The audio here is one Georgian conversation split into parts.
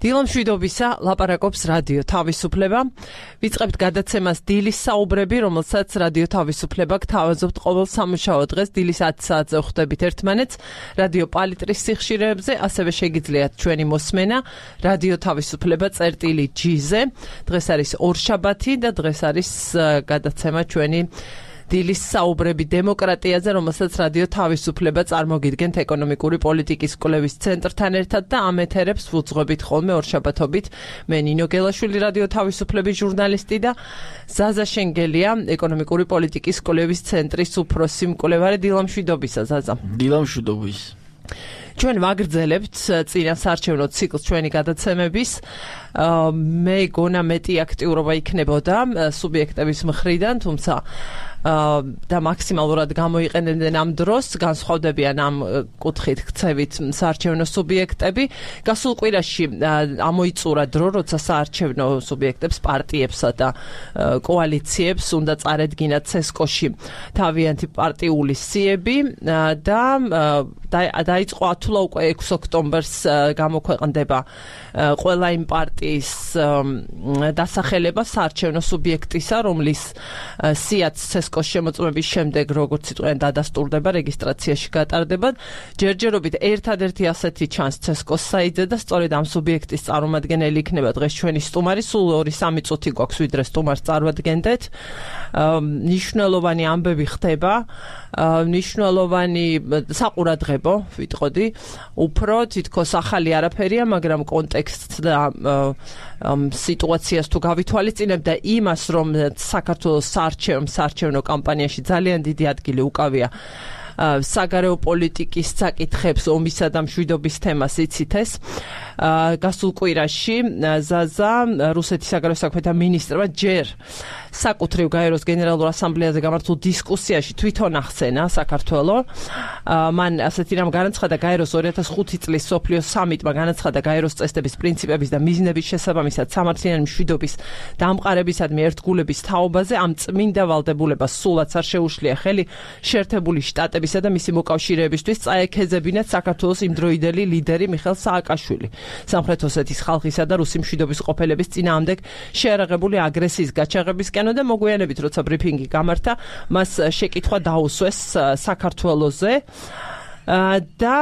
დილამშვიდობისა ლაპარაკობს რადიო თავისუფლება. ვიწყებთ გადაცემას დილის საუბრები, რომელსაც რადიო თავისუფლება გთავაზობთ ყოველ სამუშაო დღეს დილის 10 საათზე ხვდებით ერთმანეთს რადიო პალიტრის სიხშირეებზე, ასევე შეგიძლიათ ჩვენი მოსმენა რადიო თავისუფლება წერტილი-G-ზე. დღეს არის ორშაბათი და დღეს არის გადაცემა ჩვენი დილის საუბრები დემოკრატიაზე, რომელსაც რადიო თავისუფლება წარმოგიდგენთ ეკონომიკური პოლიტიკის კვლევის ცენტრთან ერთად და ამ ეთერებს ვუძღვებით ხოლმე ორშაბათობით. მე ნინო გელაშვილი, რადიო თავისუფლების ჟურნალისტი და ზაზა შენგელია, ეკონომიკური პოლიტიკის კვლევის ცენტრის უფროსი მკვლევარი. დილამშვიდობისა, ზაზა. დილამშვიდობის. ჩვენ ვაგრძელებთ წინასაარჩევნო ციკლს ჩვენი გადაცემების. მე გონა მეტი აქტიურობა იქნებოდა სუბიექტების მხრიდან, თუმცა და მაქსიმალურად გამოიყენებდნენ ამ დროს, განსხვავდებიან ამ კუთხით ქცევით საარჩევნო სუბიექტები. გასულ კვირაში ამოიწურა დრო, როცა საარჩევნო სუბიექტებს, პარტიებსა და კოალიციებს უნდა წარედგინათ ცესკოში თავიანთი პარტიული სიები და დაიწყო ათულა უკვე 6 ოქტომბერს გამოქვეყნდება ყველა იმ პარტიის დასახელება საარჩევნო სუბიექტისა, რომლის სიაც ცესკოს შემოწმების შემდეგ, როგორც იტყვიან, დადასტურდება, რეგისტრაციაში გატარდება. ჯერჯერობით ერთადერთი ასეთი ჩანს ცესკოს საიტზე და სწორედ ამ სუბიექტის წარმომადგენელი იქნება დღეს ჩვენი სტუმარი. სულ 2-3 წუთი გვაქვს, ვიდრე სტუმარს წარვადგენდეთ. ნიშნულოვანი ამბები ხდება, ნიშნულოვანი საყურადღებო, ვიტყოდი, უფრო თითქოს ახალი არაფერია, მაგრამ კონტექსტს და სიტუაციას თუ გავითვალისწინებ და იმას, რომ საქართველოს საარჩევნო კამპანიაში ძალიან დიდი ადგილი უკავია საგარეო პოლიტიკის საკითხებს, ომისა და მშვიდობის თემას იცით ეს. გასულ კვირაში ზაზა რუსეთის საგარეო საქმეთა მინისტრმა ჯერ საკუთრივ გაეროს გენერალურ ასამბლეაზე გამართულ დისკუსიაში თვითონ ახსენა საქართველო. მან ასეთი რამ განაცხადა გაეროს 2005 წლის სოფლიო სამიტმა განაცხადა გაეროს წესდების პრინციპების და მიზნების შესაბამისად სამართლიანი მშვიდობის დამყარებისადმი ერთგულების თაობაზე ამ წმინდა ვალდებულებას სულაც არ შეუშლია ხელი შეერთებული შტატებისა და მისი მოკავშირეებისთვის წაექეზებინათ საქართველოს იმდროიდელი ლიდერი მიხეილ სააკაშვილი. სამხრეთ ოსეთის ხალხისა და რუსი მშვიდობის ყოფილების წინააღმდეგ შეერაღებული აგრესიის გაჩაღებისკენ და მოგვიანებით, როცა ბრიფინგი გამართა, მას შეკითხვა დაუსვეს საქართველოზე და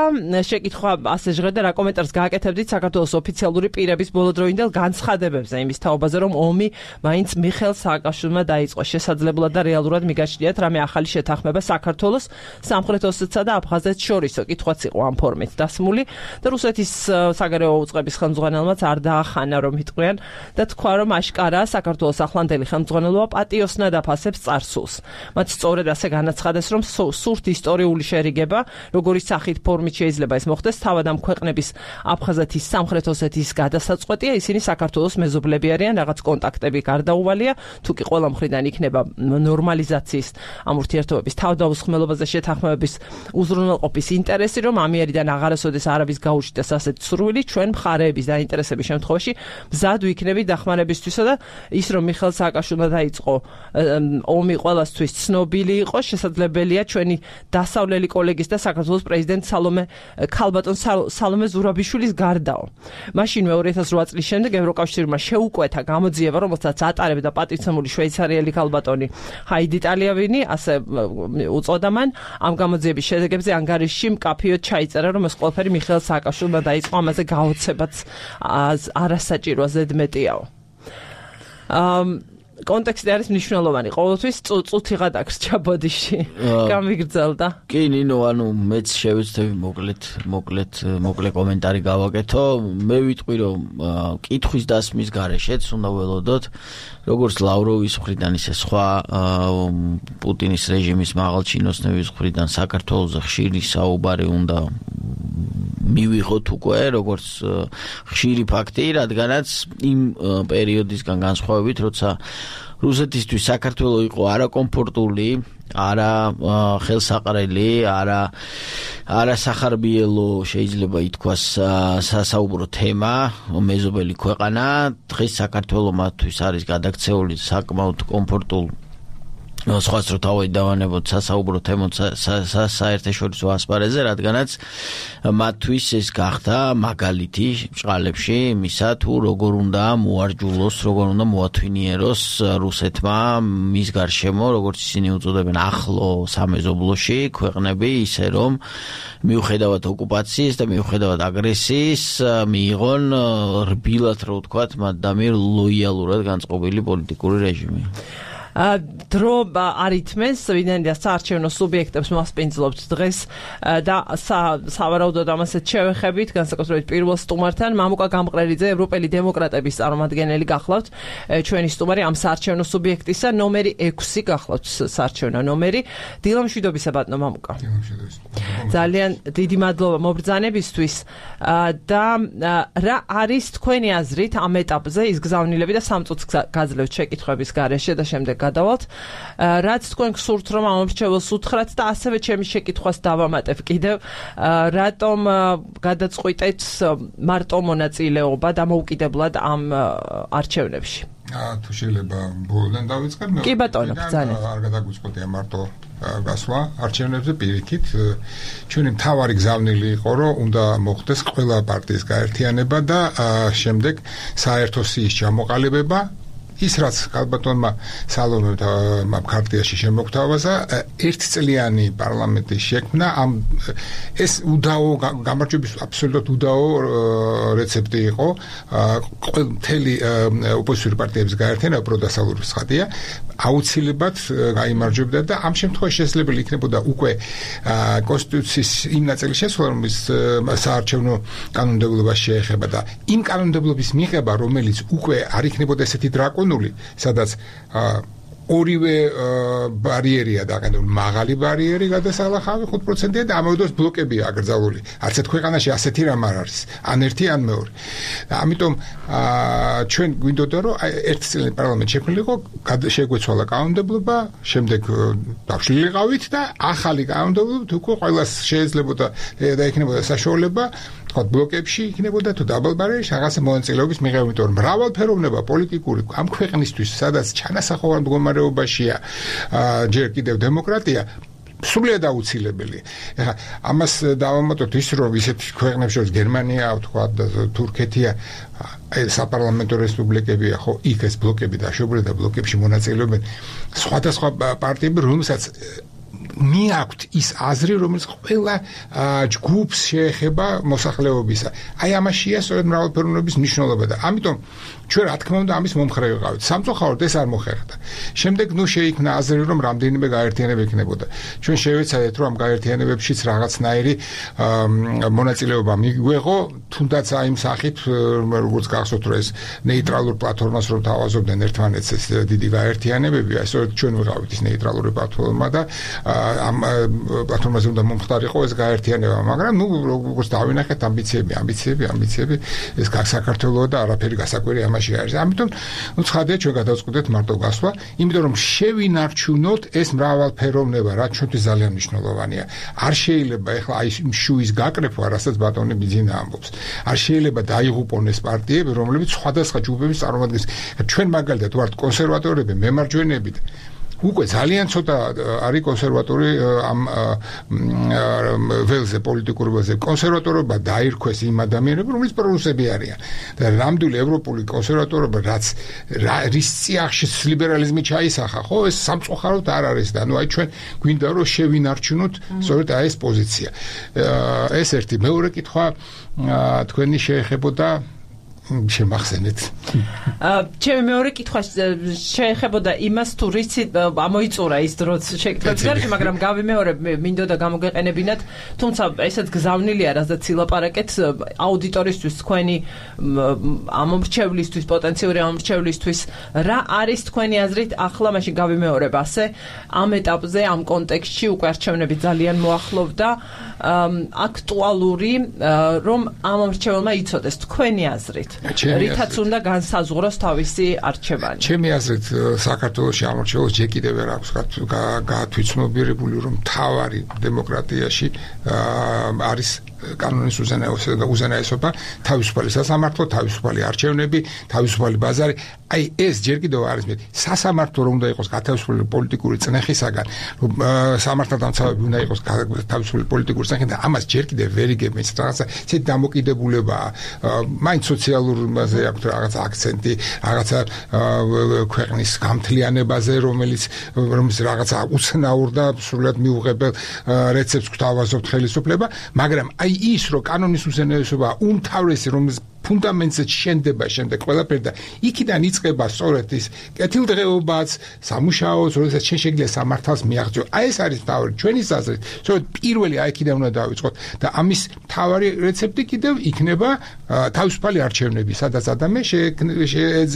შეკითხვა ასე ჟღერდა, რა კომენტარს გააკეთებდით საქართველოს ოფიციალური პირების ბოლოდროინდელ განცხადებებზე იმის თაობაზე, რომ ომი მაინც მიხეილ სააკაშვილმა დაიწყო. შესაძლებლად და რეალურად მიგაჩნიათ რამე ახალი შეთანხმება საქართველოს, სამხრეთ ოსეთსა და აფხაზეთს შორისო. კითხვაც იყო ამ ფორმით დასმული და რუსეთის საგარეო უწყების ხელმძღვანელმაც არ დაახანა, რომ იტყვიან და თქვა, რომ აშკარაა საქართველოს ახლანდელი ხელმძღვანელობა პატიოსნად აფასებს წარსულს. მათ სწორედ ასე განაცხადეს, რომ სურთ ისტორიული შერიგება, როგორ სახით ფორმით შეიძლება ეს მოხდეს, თავად ამ ქვეყნების აფხაზეთის, სამხრეთ ოსეთის გადასაწყვეტია, ისინი საქართველოს მეზობლები არიან, რაღაც კონტაქტები გარდაუვალია, თუ კი ყველა მხრიდან იქნება ნორმალიზაციის ამ ურთიერთობების თავდაუსხმელობაზე შეთანხმებების უზრუნველყოფის ინტერესი, რომ ამიერიდან აღარასოდეს არაბის გაუჩნდეს ასეთ სურვილი, ჩვენ მხარეების დაინტერესების შემთხვევაში მზად ვიქნებით დახმარებისთვისა და ის, რომ მიხეილ სააკაშვილმა დაიწყო ომი ყველასთვის ცნობილი იყო, შესაძლებელია ჩვენი დასავლელი კოლეგის და საქართველოს პრეზიდენტ ქალბატონ სალომე ზურაბიშვილის გარდაო. მაშინვე 2008 წლის შემდეგ ევროკავშირმა შეუკვეთა გამოძიება, რომელსაც ატარებდა პატივცემული შვეიცარიელი ქალბატონი ჰაიდი ტალიავინი, ასე უწოდა მან. ამ გამოძიების შედეგებზე ანგარიშში მკაფიოდ ჩაიწერა, რომ ეს ყველაფერი მიხეილ სააკაშვილმა დაიწყო, ამაზე გაოცებაც არასაჭიროა, ზედმეტიაო. კონტექსტი არის მნიშვნელოვანი. ყოველთვის წუთიღად აქვს ჩაბოდიში. გამიგრძელდა. კი, ნინო, ანუ მეც შევეცდები მოკლე კომენტარი გავაკეთო. მე ვიტყვი, რომ კითხვის დასმის გარეშეც უნდა ველოდოთ, როგორც ლავროვის მხრიდან, ისე სხვა პუტინის რეჟიმის მაღალჩინოსნების მხრიდან საქართველოს ხშირი საუბარი უნდა მივიღოთ უკვე, როგორც ხშირი ფაქტი, რადგანაც იმ პერიოდისგან განსხვავებით, როცა რუსეთისთვის საქართველო იყო არაკომფორტული, არა ხელსაყრელი, არა სახარბიელო, შეიძლება ითქვას სასაუბრო თემა, მეზობელი ქვეყანა, დღეს საქართველო მათთვის არის გადაქცეული საკმაოდ კომფორტულ სხვას რო თავი დავანებოთ სასაუბრო თემოთ საერთაშორისო ასპარეზზე, რადგანაც მათთვის ეს გახდა მაგალითი ბრწყალებში იმისა, თუ როგორ უნდა მოარჯულოს, როგორ უნდა მოათვინიეროს რუსეთმა მის გარშემო, როგორც ისინი უწოდებენ ახლო სამეზობლოში ქვეყნები, ისე რომ მიუხედავად ოკუპაციის და მიუხედავად აგრესიის მიიღონ რბილად რო ვთქვათ, მათ დამერ ლოიალურად განწყობილი პოლიტიკური რეჟიმი. დრო არითმეს ვინაიდან საარჩევნო სუბიექტებს მასპინძლობთ დღეს და სავარაუდოდ ამასაც შევეხებით განსაკუთრებით პირველ სტუმართან მამუკა გამყრელიძე ევროპელი დემოკრატების წარმომადგენელი გახლავთ ჩვენი სტუმარი ამ საარჩევნო სუბიექტისა ნომერი 6 გახლავთ საარჩევნო ნომერი დილამშვიდობისა ბატონო მამუკა ძალიან დიდი მადლობა მობრძანებისთვის და რა არის თქვენი აზრით ამ ეტაპზე ის გზავნილები და 3 წუთს გაძლევთ შეკითხვების გარეშე და შემდეგ გადავალთ რაც თქვენ გსურთ რომ ამომრჩეველს უთხრათ და ასევე ჩემი შეკითხვას დავამატებ კიდევ რატომ გადაწყვიტეთ მარტო მონაწილეობა დამოუკიდებლად ამ არჩევნებში თუ შეიძლება ბოლოდან დავიწყებ კი ბატონო ბრძანეთ არ გადაგვიწყდია მარტო გასვლა არჩევნებზე პირიქით ჩვენი მთავარი გზავნილი იყო რომ უნდა მოხდეს ყველა პარტიის გაერთიანება და შემდეგ საერთო სიის ჩამოყალიბება ის რაც ალბათონმა სალომე ქარტიაში შემოგთავაზა ერთწლიანი პარლამენტის შექმნა ამ ეს უდაო გამარჯვების აბსოლუტურად უდაო რეცეპტი იყო მთელი ოპოზიციური პარტიების გაერთიანება პროდასალურის ხადია აუცილებლად გაიმარჯვებდა და ამ შემთხვევაში შესაძლებელი იქნებოდა უკვე კონსტიტუციის იმ ნაწილის შესრულება რომელიც საარჩევნო კანონმდებლობას შეეხება და იმ კანონმდებლობის მიღება რომელიც უკვე არ იქნებოდა ესეთი დრაკონული სადაც ორივე ბარიერია დაყენებული მაღალი ბარიერი გადასალახავი 5%-ია და ამავდროულად ბლოკებია აკრძალული. არც ერთ ქვეყანაში ასეთი რამ არ არის. ან ერთი ან მეორე. ამიტომ ჩვენ გვინდოდა რომ ერთწლიანი პარლამენტი შექმნილიყო, შეგვეცვალა კანონმდებლობა, შემდეგ დავშლილიყავით და ახალი კანონმდებლობით უკვე ყველას შეიძლებოდა და იქნებოდა საშუალება თქვათ ბლოკებში იქნებოდა თუ დაბალბარიერში რაღაცა მონაწილეობის მიღება, იმიტომ რომ მრავალფეროვნება პოლიტიკური ამ ქვეყნისთვის, სადაც ჩანასახოვარ მდგომარეობაშია ჯერ კიდევ დემოკრატია სრულიად აუცილებელი. ეხლა ამას დავამატოთ ის რომ ისეთ ქვეყნებს შორის გერმანია, თქვათ და თურქეთია საპარლამენტო რესპუბლიკებია, ხო იქ ეს ბლოკები დაშვებული და ბლოკებში მონაწილეობენ სხვადასხვა პარტიები, რომელსაც მიაქვთ ის აზრი, რომელიც ყველა ჯგუფს შეეხება მოსახლეობისა. აი ამაშია სწორედ მრავალფეროვნების მნიშვნელობა და ამიტომ ჩვენ რა თქმა უნდა ამის მომხრე ვიყავით. სამწუხაროდ ეს არ მოხერხდა. შემდეგ შეიქმნა აზრი, რომ რამდენიმე გაერთიანება იქნებოდა. ჩვენ შევეცადეთ, რომ ამ გაერთიანებებშიც რაღაცნაირი მონაწილეობა მიგვეღო, თუნდაც აი იმ სახით, როგორც გახსოვთ, რომ ეს ნეიტრალურ პლატფორმას რომ თავაზობდნენ ერთმანეთს ეს დიდი გაერთიანებები, აი სწორედ ჩვენ ვიყავით ის ნეიტრალური პლატფორმა და ამ პლატფორმაზე უნდა მომხდარიყო ეს გაერთიანება, მაგრამ ნუ როგორც დავინახეთ ამბიციები ეს საქართველოს და არაფერი გასაკვირი ამაში არის. ამიტომ ნუ ცხადია ჩვენ გადავწყვეტეთ მარტო გასვლა, იმიტომ რომ შევინარჩუნოთ ეს მრავალფეროვნება, რაც ჩვენთვის ძალიან მნიშვნელოვანია. არ შეიძლება ეხლა აი შუის გაკრეფვა, რასაც ბატონი ბიძინა ამბობს. არ შეიძლება დაიღუპონ ეს პარტიები, რომლებიც სხვადასხვა ჯგუფების წარმოადგენს. ჩვენ მაგალითად ვართ კონსერვატორები, მემარჯვენეები უკვე ძალიან ცოტა არის კონსერვატორი ამ ველზე პოლიტიკურ ველზე კონსერვატორობა დაირქვეს იმ ადამიანებს რომლის პრორუსები არიან და ნამდვილი ევროპული კონსერვატორობა რაც რის წიაღში ლიბერალიზმი ჩაისახა ხო ეს სამწუხაროდ არ არის და ნუ აი ჩვენ გვინდა რომ შევინარჩუნოთ სწორედ აი ეს პოზიცია ეს ერთი მეორე კითხვა თქვენი შეეხებოდა შემახსენეთ. ჩემი მეორე კითხვა შეეხებოდა იმას თუ რიცი ამოიწურა ის დროც შეკითხებს გარშე, მაგრამ გავიმეორებ მინდოდა გამოგეყენებინათ, თუმცა ესეც გზავნილია, რასაც ილაპარაკეთ აუდიტორისთვის, თქვენი ამომრჩევლისთვის, პოტენციური ამომრჩევლისთვის, რა არის თქვენი აზრით ახლა მაშინ გავიმეორებ ასე, ამ ეტაპზე, ამ კონტექსტში უკვე არჩევნები ძალიან მოახლოვდა, აქტუალური, რომ ამომრჩეველმა იცოდეს თქვენი აზრით. რითაც უნდა განსაზღვროს თავისი არჩევანი. ჩემი აზრით საქართველოში ამორჩეულს ჯერ კიდევ ვერ აქვს გაათვითცნობიერებული რომ მთავარი დემოკრატიაში არის კანონის უზენაესობა, თავისუფალი სასამართლო, თავისუფალი არჩევნები, თავისუფალი ბაზარი. აი ეს ჯერ კიდევ არის მე სასამართლო რომ უნდა იყოს გათავისუფლებული პოლიტიკური წნეხისაგან სამართალდამცავები უნდა იყოს გათავისუფლებული პოლიტიკური წნეხისაგან და ამას ჯერ კიდევ ვერ იგებენ რაღაცა ისეთი დამოკიდებულებაა მაინც სოციალურმაზე აქვს რაღაცა აქცენტი რაღაცა ქვეყნის გამთლიანებაზე რომელიც რაღაცა უცნაურ და სრულად მიუღებელ რეცეპტს გვთავაზობთ ხელისუფლება მაგრამ აი ის რომ კანონის უზენაესობა უმთავრესი რომ ფუნდამენტზე შენდება შემდეგ ყველაფერი და იქიდან იწყება სწორედ ის კეთილდღეობაც, სამუშაოც, როდესაც შენ შეგიძლია სამართალს მიაღწიო. აი ეს არის თავი ჩვენის აზრით. სწორედ პირველი აი იქიდან უნდა დავიწყოთ და ამის თავი რეცეპტი კიდევ იქნება თავისუფალი არჩევნები, სადაც ადამიანი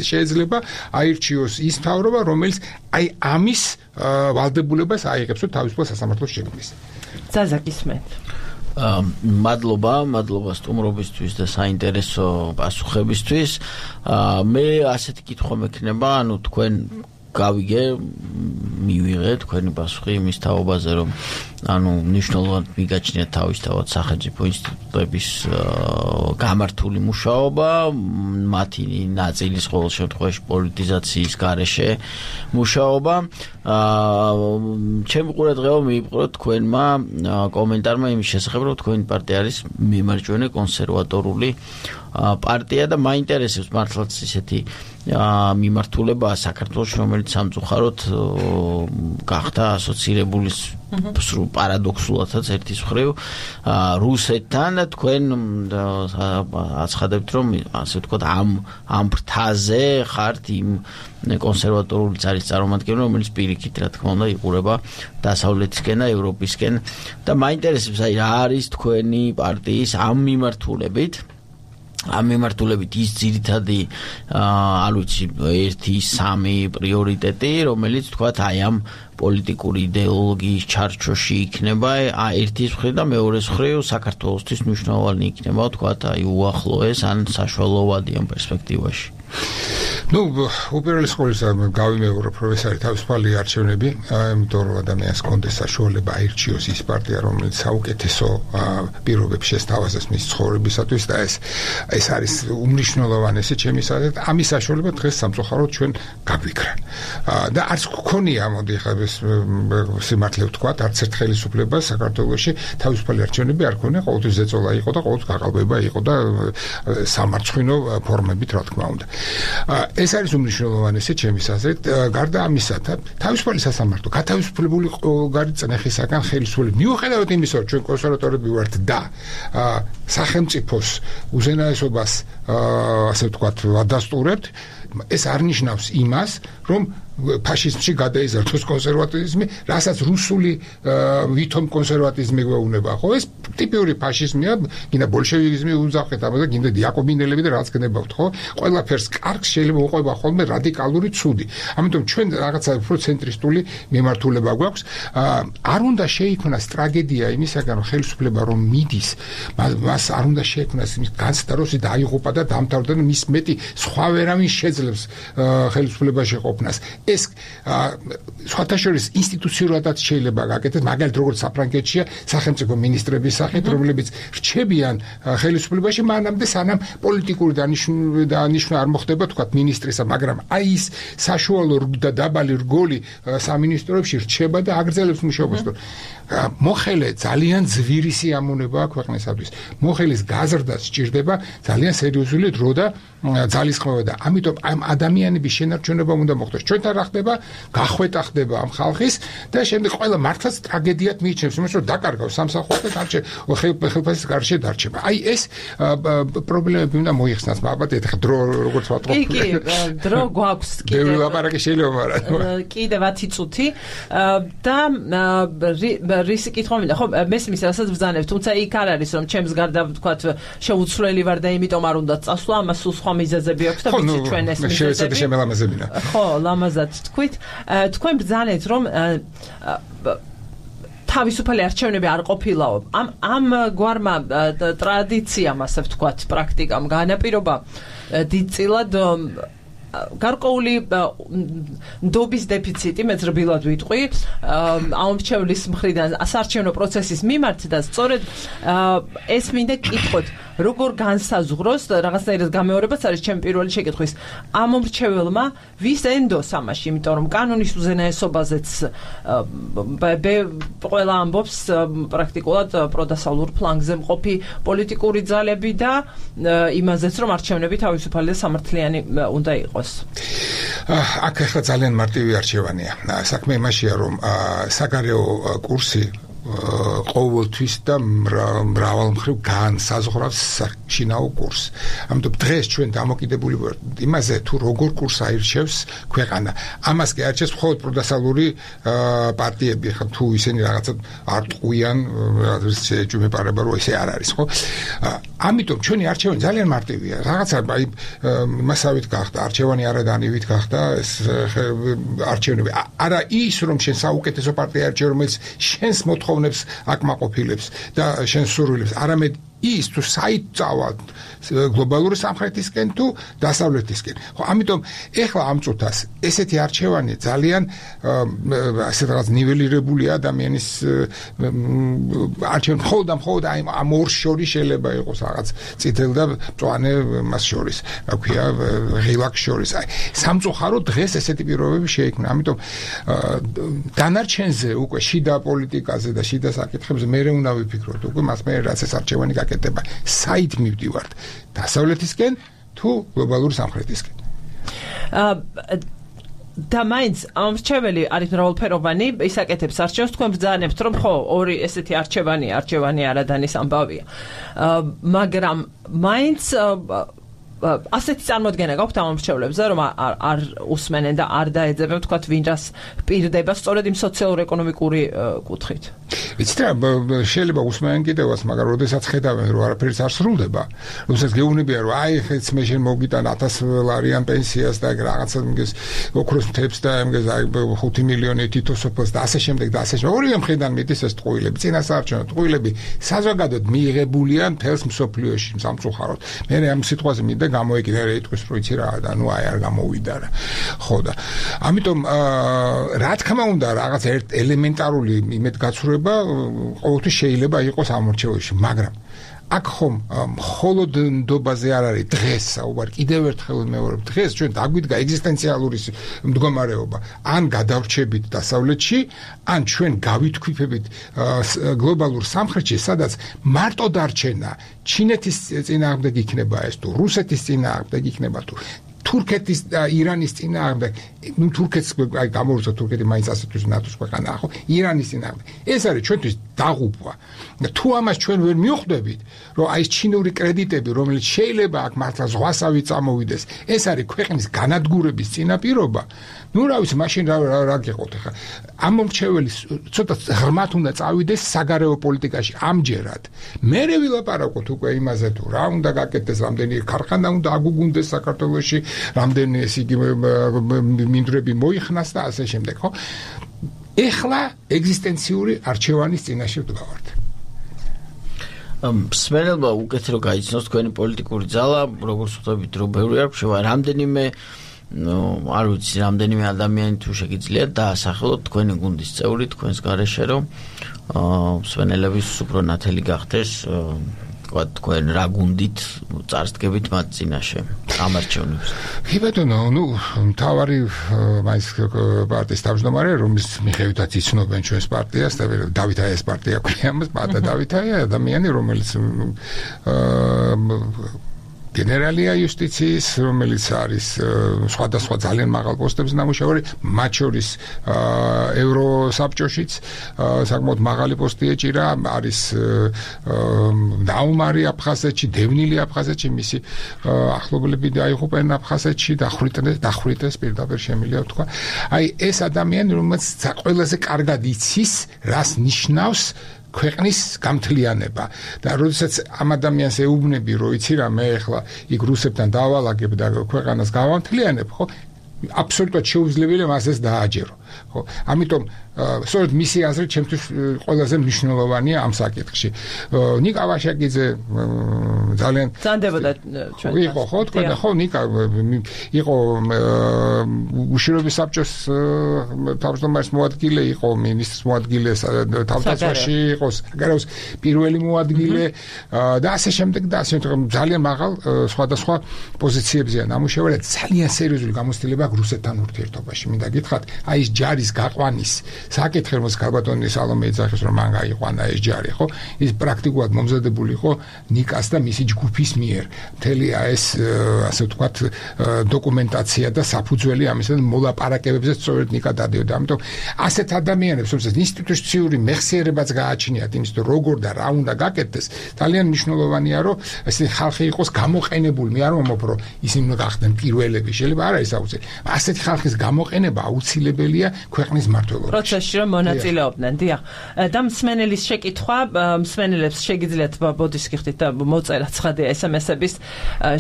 შეიძლება აირჩიოს ის მთავრობა, რომელიც აი ამის ვალდებულებას აიღებს თავისუფალ სასამართლოს შექმნის. ზაზაკისმეთ მადლობა სტუმრობისთვის და საინტერესო პასუხებისთვის. მე ასეთი კითხვა მექნება, ანუ თქვენ გავიგე, მივიღე თქვენი პასუხი იმის თაობაზე, რომ ანუ მნიშვნელოვნად მიგაჩნიათ თავისთავად სახელმწიფო ინსტიტუტების გამართული მუშაობა, მათი ნაწილის ყოველ შემთხვევაში პოლიტიზაციის გარეშე მუშაობა. ჩემი ყურადღება მიიპყრო თქვენმა კომენტარმა იმის შესახებ, რომ თქვენი პარტია არის მემარჯვენე კონსერვატორული პარტია და მაინტერესებს მართლაც ისეთი მიმართულება საქართველოს, რომელიც სამწუხაროდ გახდა ასოცირებული პარადოქსულადაც ერთის მხრივ რუსეთთან და თქვენ აცხადებთ, რომ ასე ვთქვათ ამ ფრთაზე ხართ იმ კონსერვატორული ძალის წარმომადგენელი, რომელიც პირიქით, რა თქმა უნდა, იყურება დასავლეთისკენ და ევროპისკენ და მაინტერესებს, აი რა არის თქვენი პარტიის ამ მიმართულებით ის ძირითადი არ ვიცი 1-3 პრიორიტეტი, რომელიც თქვათ აი ამ პოლიტიკური იდეოლოგიის ჩარჩოში იქნება, ერთის მხრივ და მეორეს მხრივ საქართველოსთვის მნიშვნელოვანი იქნება, თქვათ აი უახლოეს ან საშუალოვადი ამ პერსპექტივაში. Ну, უპირველეს ყოვლისა გავიმეორო პროფესორი თავისუფალი არჩევნები, იმიტომ რომ ადამიანს კონდეს საშუალება აირჩიოს ის პარტია, რომელიც საუკეთესო პირობებს შესთავაზებს მის ცხოვრებისათვის და ეს არის უმნიშვნელოვანესი ჩემი აზრით. ამის საშუალება დღეს სამწუხაროდ ჩვენ გაგვიქრა. და არც გქონია, მოდი ხა ეს სიმართლე ვთქვა, არც ერთ ხელისუფლებას საქართველოში თავისუფალი არჩევნები არ ქონია, ყოველთვის ზეწოლა იყო და ყოველთვის გაყალბება იყო და სამარცხვინო ფორმებით, რა თქმა უნდა. ეს არის უმნიშვნელოვანესი ჩემი აზრით. გარდა ამისა, თავისუფალი სასამართლო, გათავისუფლებული ყოველგვარი წნეხისაგან ხელისუფლება. მიუხედავად იმისა, რომ ჩვენ კონსერვატორები ვართ და სახელმწიფოს უზენაესობას ასე ვთქვათ, ვადასტურებთ, ეს არ ნიშნავს იმას, რომ ფაშიზმში გადაიზარდოს კონსერვატიზმი, რასაც რუსული ვითომ კონსერვატიზმი გვეუბნება. ხო, ეს ტიპიური ფაშიზმია, გინდა ბოლშევიკიზმი უძახეთ, აბა გინდა იაკობინელები და რაც გნებავთ, ხო? ყველაფერს კარგს შეიძლება უყვება ხოლმე რადიკალური ცუდი. ამიტომ ჩვენ რაღაცა უფრო ცენტრისტული მიმართულება გვაქვს. არ უნდა შეიქმნას ტრაგედია იმისაგან, რომ ხელისუფლება რომ მიდის, მას არ უნდა შეიქმნას იმის განცდა, რომ დაიღუპა და დამთავრდა და მის მეტი სხვა ვერავინ შეძლებს ხელისუფლებაში ყოფნას. ეს სხვათა შორის ინსტიტუციურადაც შეიძლება გაკეთდეს, მაგალითად როგორც საფრანგეთშია სახელმწიფო მინისტრების სახით, რომლებიც რჩებიან ხელისუფლებაში მანამდე სანამ პოლიტიკური დანიშვნა არ მოხდება, თქვათ მინისტრისა, მაგრამ აი ის საშუალო და დაბალი რგოლი სამინისტროებში რჩება და აგრძელებს მუშაობას. მოხელე ძალიან ძვირი სიამოვნებაა ქვეყნისათვის. მოხელის გაზრდა სჭირდება ძალიან სერიოზული დრო და ძალისხმევა და ამიტომ ამ ადამიანების შენარჩუნება უნდა მოხდეს. ჩვენთან რა ხდება? გახვეტა ხდება ამ ხალხის და შემდეგ ყველა მართლაც ტრაგედიად მიიჩნევს, იმას რომ დაკარგავს სამსახურს და ხელფასის გარშე დარჩება. აი ეს პრობლემები უნდა მოიხსნას, ალბათ ეხლა დრო როგორც ვატყობ. კი, დრო გვაქვს კიდევ. ბევრი ლაპარაკი შეიძლება, მაგრამ კიდევ 10 წუთი და რისი კითხვა მინდა, ხო, მესმის რასაც ბრძანებ, თუმცა იქ არ არის რომ ჩემს გარდა ვთქვათ შეუცვლელი ვარ და იმიტომ არ უნდა წასვლა, ამას სულ სხვა მიზეზები აქვს და ვიცი ჩვენ ეს მიზეზები. ხო, ლამაზად თქვით. თქვენ ბრძანეთ რომ თავისუფალი არჩევნები არ ყოფილაო. ამ გვარმა ტრადიციამ, ასე ვთქვათ, პრაქტიკამ განაპირობა დიდწილად გარკვეული ნდობის დეფიციტი მეძრბილად ვიტყვი ამომრჩევლის მხრიდან საარჩევნო პროცესის მიმართ და სწორედ ეს მინდა კითხოთ როგორ განსაზღვროს რაღაცნაირად გამეორებაც არის ჩემი პირველი შეკითხვის ამომრჩეველმა ვის ენდოს ამაში იმიტომ რომ კანონის უზენაესობაზეც ყველა ამბობს პრაქტიკულად პროდასავლურ ფლანგზე მყოფი პოლიტიკური ძალები და იმაზეც რომ არჩევნები თავისუფალი და სამართლიანი უნდა იყოს აქ ახლა ძალიან მარტივი არჩევანია საქმე იმაშია რომ საგარეო კურსი ყოველთვის და მრავალმხრივ განსაზღვრავს შინაო კურსს. ამიტომ დღეს ჩვენ დამოკიდებული ვართ იმაზე თუ როგორ კურსს აირჩევს ქვეყანა. ამას კი არჩევს მხოლოდ პროდასალური პარტიები, ხა თუ ისინი რაღაცა არ ტყუიან, რაღაც ეჭვმეპარება რო ესე არ არის, ხო? ამიტომ ჩვენი არჩევანი ძალიან მარტივია. რაღაცა აი მასავით გახდა, არჩევანი არადანივით გახდა, ეს არჩევნები. არა ის რომ შენ საუკეთესო პარტია არჩევ, რომელიც შენს მოთხოვნებს აკმაყოფილებს და შენს სურვილებს, არამედ ის თუ საით წავალ გლობალური სამხრეთისკენ თუ დასავლეთისკენ. ხო, ამიტომ ეხლა ამ წუთას ესეთი არჩევანი ძალიან ასე რაღაც ნიველირებული ადამიანის არჩევანი მხოლოდ ამ ორ შორის შეიძლება იყოს რაღაც წითელ და მწვანე მას შორის, რა ქვია, ღილაკს შორის. აი, სამწუხაროდ დღეს ესეთი პირობები შეიქმნა. ამიტომ დანარჩენზე უკვე შიდა პოლიტიკაზე და შიდა საკითხებზე მე უნდა ვიფიქროთ უკვე მას მე რაც ეს არჩევანი გაკეთება. საით მივდივართ? დასავლეთისკენ თუ გლობალური სამხრეთისკენ? და მაინც ამრჩეველი არის მრავალფეროვანი, ისაკეთებს არჩევს, თქვენ ბრძანებთ, რომ ხო, ორი ესეთი არჩევანი არადანის ამბავია. მაგრამ მაინც ასეთი წარმოდგენა გაქვთ ამ ამრჩევლებზე, რომ არ უსმენენ და არ დაეძებენ, თქვათ, ვინ რას პირდება სწორედ იმ სოციალურ-ეკონომიკური კუთხით. ვიცით რა, შეიძლება უსმენენ კიდევაც, მაგრამ როდესაც ხედავენ, რომ არაფერიც არ სრულდება, როდესაც გეუბნებიან, რომ აი, ხეც მე შენ მოგიტან 1000 ლარიან პენსიას და რაღაცა მგეს ოქროს მთებს და მგეს აი 5 მილიონი თითოსოფლს და ასე შემდეგ და ასე შემდეგ. ორივე მხრიდან მიდის ეს ტყუილები, წინასაარჩევნო ტყუილები საზოგადოდ მიიღებულია მთელს მსოფლიოში სამწუხაროდ. მე ამ სიტყვაზე მინდა გამოეკიდა რა იტყვის რო იცი რა და ნუ აი არ გამოვიდა რა. ხო და ამიტომ რა თქმა უნდა რაღაც ელემენტარული იმედგაცრუება ყოველთვის შეიძლება იყოს ამორჩეულში, მაგრამ აქ ხომ მხოლოდ ნდობაზე არ არის დღეს საუბარი, კიდევ ერთხელ მეუბნებ, დღეს ჩვენ დაგვიდგა ეგზისტენციალური მდგომარეობა, ან გადავრჩებით დასავლეთში, ან ჩვენ გავითქვიფებით გლობალურ სამხრეთში, სადაც მარტო დარჩენა ჩინეთის წინააღმდეგ იქნება ეს თუ რუსეთის წინააღმდეგ იქნება თუ თურქეთის და ირანის წინააღმდეგ, ნუ თურქეთს აი გამორჩა თურქეთი მაინც ასეთთვის ნატოს ქვეყანაა, ხო? ირანის წინააღმდეგ. ეს არის ჩვენთვის დაღუპვა. და თუ ამას ჩვენ ვერ მივხვდებით, რომ აი ეს ჩინური კრედიტები, რომელიც შეიძლება აქ მართლა ზღვასავით წამოვიდეს, ეს არის ქვეყნის განადგურების წინაპირობა. ნუ რა ვიცი, მაშინ რა გიყოთ ახლა. ამომრჩეველი ცოტა ღრმად უნდა წავიდეს საგარეო პოლიტიკაში ამჯერად. მერე ვილაპარაკოთ უკვე იმაზე თუ რა უნდა გაკეთდეს, რამდენი ქარხანა უნდა აგუგუნდეს საქართველოში, რამდენი ეს იგი მინდვრები მოიხნას და ასე შემდეგ, ხო? ეხლა ეგზისტენციური არჩევანის წინაშე ვდგავართ. მსმენელმა უკეთ რო გაიცნოს თქვენი პოლიტიკური ძალა, როგორც ვთქვით, რომ ბევრი არ შევა, რამდენიმე არ ვიცი, რამდენიმე ადამიანი თუ შეგიძლიათ დაასახელოთ თქვენი გუნდის წევრი, თქვენს გარეშე, რომ მსმენელების უფრო ნათელი გახდეს, თქვენ რა გუნდით წარსდგებით მათ წინაშე ამ არჩევნებს. კი ბატონო, ნუ მთავარი მაინც პარტიის თავმჯდომარე, რომლის მიხედვითაც იცნობენ ჩვენს პარტიას და დავითაიას პარტია ქვია მას, პატა დავითაია ადამიანი, რომელიც გენერალია იუსტიციის, რომელიც არის სხვადასხვა ძალიან მაღალ პოსტებზე ნამუშევარი, მათ შორის ევროსაბჭოშიც საკმაოდ მაღალი პოსტი ეჭირა, არის დაუმარი აფხაზეთში, დევნილი აფხაზეთში, მისი ახლობლები დაიღუპენ აფხაზეთში, დახვრიტეს პირდაპირ შემიძლია ვთქვა. აი ეს ადამიანი, რომელიც ყველაზე კარგად იცის, რას ნიშნავს ქვეყნის გამთლიანება და როდესაც ამ ადამიანს ეუბნები, რომ იცი რა, მე ახლა იქ რუსებთან დავალაგებ და ქვეყანას გავამთლიანებ, ხო? აბსოლუტურად შეუძლებელია მასეს დააჯერო. ხო, ამიტომ სწორედ მისი აზრით ჩემთვის ყველაზე მნიშვნელოვანია ამ საკითხში. ნიკა ვაშაკიძე ძალიან ზანდებოდა ჩვენ. იყო ხო თქვენ ხო ნიკა იყო უშიშროების საბჭოს თავმჯდომარის მოადგილე, იყო მინისტრის მოადგილე თავდაცვაში, იყო საგარეოს პირველი მოადგილე და ასე შემდეგ და ასე ძალიან მაღალ სხვადასხვა პოზიციებზეა ნამუშევარი, ძალიან სერიოზული გამოცდილება აქვს რუსეთთან ურთიერთობაში. მინდა გითხრათ, აი ეს ჯარის გაყვანის საკითხი, რომელსაც ქალბატონი სალომე ეძახის, რომ მან გაიყვანა ეს ჯარი, ხო? ის პრაქტიკულად მომზადებული იყო ნიკას და მისი ჯგუფის მიერ. მთელი ეს ასე ვთქვათ დოკუმენტაცია და საფუძველი ამისთან მოლაპარაკებებზე სწორედ ნიკა დადიოდა. ამიტომ ასეთ ადამიანებს, რომელსაც ინსტიტუციური მეხსიერებაც გააჩნიათ იმის, როგორ და რა უნდა გაკეთდეს, ძალიან მნიშვნელოვანია, რომ ესე ხალხი იყოს გამოყენებული. მე არ მომობ, რომ ისინი უნდა გახდნენ პირველები, შეიძლება არ არის აუცილებელი. ასეთი ხალხის გამოყენება აუცილებელია ქვეყნის მმართველობაში. პროცესში რომ მონაწილეობდნენ, დიახ. და მსმენელის შეკითხვა, მსმენელებს შეგიძლიათ ბოდის გიხდით და მოწერა ცხადია SMS-ების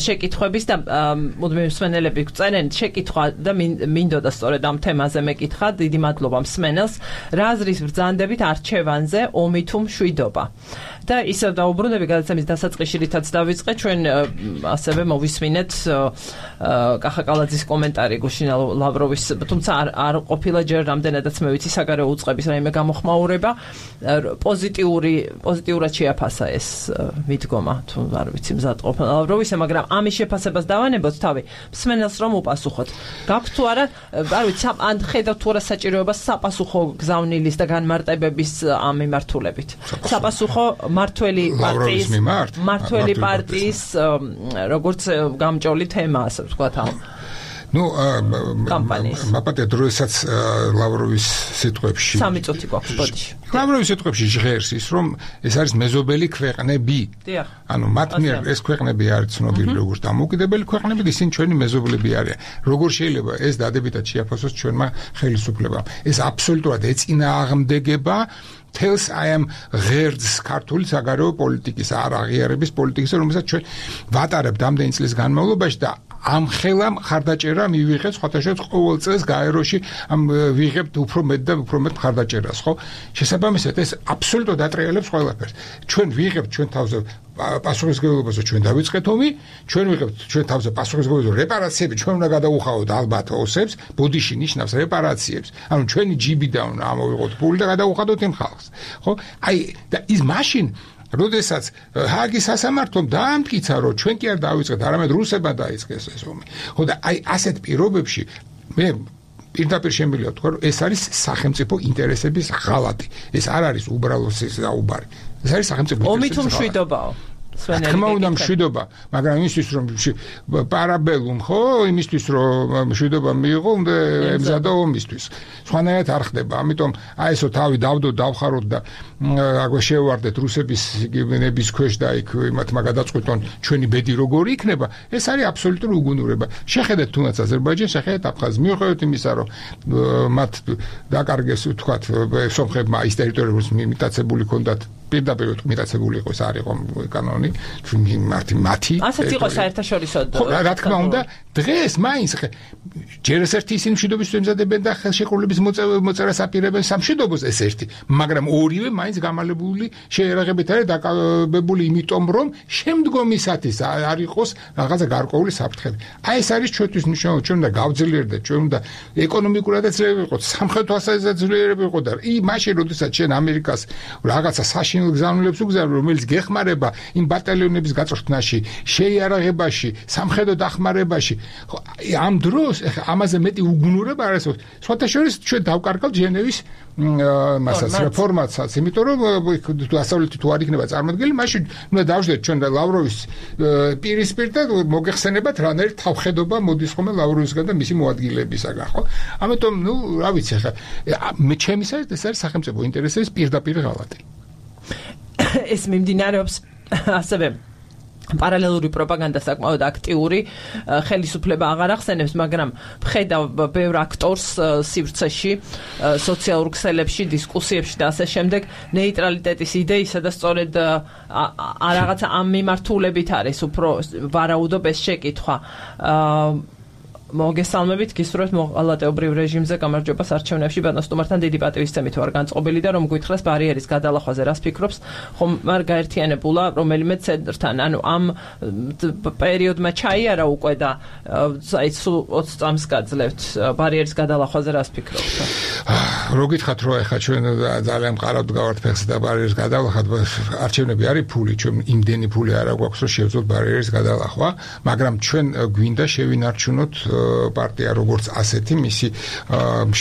შეკითხვების და მუდმივი მსმენელები წერენ შეკითხვა და მინდოდა სწორედ ამ თემაზე მეკითხა. დიდი მადლობა მსმენელს. რა აზრის ბრძანდებით არჩევანზე ომი თუ მშვიდობა? და ისევ დაუბრუნდები გადაცემის დასაწყისში, რითაც დავიწყე, ჩვენ ასევე მოვისმინეთ კახა კალაძის კომენტარი გუშინა ლავროვის, თუმცა არ ყოფილა ჯერ რამდენადაც მე ვიცი საგარეო უწყების რაიმე გამოხმაურება, პოზიტიურად შეაფასა ეს მიდგომა, თუ არ ვიცი მზად ყოფნა ლავროვისა, მაგრამ ამის შეფასებას დავანებოთ თავი, მსმენელს რომ უპასუხოთ. გაქვთ თუ არა, არ ვიცი, ან ხედავთ თუ არა საჭიროებას sapasukho გზავნილის და განმარტებების ამ მიმართულებით. Sapasukho მართველი პარტიის როგორც გამჭოლი თემა, ასე ვთქვათ ამ ну მაპატე დროისაც ლავროვის სიტყვებში 3 წუთი გვაქვს ბოდიში. ლავროვის სიტყვებში ჟღერს ის, რომ ეს არის მეზობელი ქვეყნები. ანუ მათ მიერ ეს ქვეყნები არის ცნობილი როგორც დამოუკიდებელი ქვეყნები, ისინი ჩვენი მეზობლები არიან. როგორ შეიძლება ეს დადებითად შეაფასოს ჩვენმა ხელისუფლებამ? ეს აბსოლუტურად ეწინააღმდეგება თელს აი ამ ღერძს ქართული საგარეო პოლიტიკის არ აღიარების პოლიტიკის, რომელსაც ჩვენ ვატარებთ ამდენი წლის განმავლობაში და ამ ხელა მხარდაჭერა მივიღეთ სხვათაშორის ყოველ წელს გაეროში ამ ვიღებთ უფრო მეტ და უფრო მეტ მხარდაჭერას, ხო? შესაბამისად ეს აბსოლუტურად ატრიალებს ყველაფერს. ჩვენ ვიღებთ ჩვენ თავზე პასუხისმგებლობაზე, ჩვენ დავიწყეთ ომი, ჩვენ ვიღებთ ჩვენ თავზე პასუხისმგებლობაზე რეპარაციები, ჩვენ უნდა გადავუხავოთ ალბათ ოსებს, ბოდიში ნიშნავს რეპარაციებს. ანუ ჩვენი ჯიბიდან უნდა ამოვიღოთ ფული და გადავუხადოთ იმ ხალხს, ხო? აი და ის მაშინ როდესაც ჰააგის სასამართლომ დაამტკიცა, რომ ჩვენ კი არ დავიწყეთ, არამედ რუსებმა დაიწყეს ეს ომი. ხო და აი ასეთ პირობებში მე პირდაპირ შემიძლია ვთქვა, რომ ეს არის სახელმწიფო ინტერესების ღალატი. ეს არ არის უბრალოდ საუბარი. ეს არის სახელმწიფო ინტერესების ომი თუ მშვიდობაო? თქმა უნდა მშვიდობა, მაგრამ იმისთვის რომ პარაბელუმ ხო, იმისთვის რომ მშვიდობა მიიღო, უნდა ემზადა ომისთვის. სხვანაირად არ ხდება. ამიტომ აი ესო თავი დავდო, დავხაროთ და აგვე შევარდეთ რუსების გენების ქვეშ და იქ იმათმა გადაწყვიტონ ჩვენი ბედი როგორი იქნება. ეს არის აბსოლუტური უგუნურება. შეხედეთ თუნდაც აზერბაიჯანს, შეხედეთ აფხაზს. მიუხედავად იმისა, რომ მათ დაკარგეს ვთქვათ სომხებმა ის ტერიტორიებს მიტაცებული ჰქონდათ პირდაპირ მიტაცებული იყო ეს არ იყო კანონი მათი ასეთ იყო საერთაშორისო რა თქმა უნდა დღეს მაინც ჯერ ერთი ისინი მშვიდობის ემზადებენ და ხელშეკრულების მოწერას აპირებენ სამშვიდობოს ეს ერთი მაგრამ ორივე მაინც გამალებული შეერაღებით არის დაკავებული იმიტომ რომ შემდგომისათვის არ იყოს რაღაცა გარკვეული საფრთხები აი ეს არის ჩვენთვის მნიშვნელოვანი ჩვენ უნდა გავძლიერდეთ ჩვენ უნდა ეკონომიკურადაც ძლიერები ვიყოთ სამხედრო ასაზეც ძლიერები ვიყოთ და მაშინ როდესაც ჩვენ ამერიკას რაღაცა საშინელ გზავნილებს უგზავნებთ რომელიც გეხმარება იმ ბატალიონების გაწვრთნაში შეიარაღებაში სამხედრო დახმარებაში ამ დროს ამაზე მეტი უგუნურება არ არის სხვათა შორის ჩვენ დავკარგავთ ჟენევის მასაც რეფორმაცაც იმიტომ რომ დასავლეთი თუ არ იქნება წარმოდგენილი მაშინ უნდა დავждეთ ჩვენ და ლავროვის პირისპირ და მოგეხსენებათ რანაირ თავხედობა მოდის ხოლმე ლავროვისგან და მისი მოადგილებისაგან ხო ამიტომ ნუ რა ვიცი ხა მე ჩემისას ეს არის სახელმწიფო ინტერესების პირდაპირ ღალატი ეს მიმდინარეობს ასევე პარალელური პროპაგანდა საკმაოდ აქტიური ხელისუფლება აღარ ახსენებს, მაგრამ ვხედავ ბევრ აქტორს სივრცეში, სოციალურ ქსელებში, დისკუსიებში და ასე შემდეგ ნეიტრალიტეტის იდეისა და სწორედ რაღაცა ამ მიმართულებით არის უფრო ვარაუდობ ეს შეკითხვა. მოგესალმებით, გისურვებთ მოყალატეობრივ რეჟიმზე გამარჯვებას არჩევნებში ბატონ სტუმართან დიდი პატივისცემით ვარ განწყობილი და რომ გითხრას ბარიერის გადალახვაზე რას ფიქრობს, ხომ არ გაერთიანებულა რომელიმე ცენტრთან, ანუ ამ პერიოდმა ჩაიარა უკვე და აი 20 წამს გაძლევთ ბარიერის გადალახვაზე რას ფიქრობთ? რო გითხრათ რომ ეხა ჩვენ ძალიან მყარავთ გავართ ფეხს და ბარიერის გადალახვა, არჩევნები არის ფული, ჩვენ იმდენი ფული არ აქვს რომ შევძლოთ ბარიერის გადალახვა, მაგრამ ჩვენ გვინდა შევინარჩუნოთ პარტია როგორც ასეთი მისი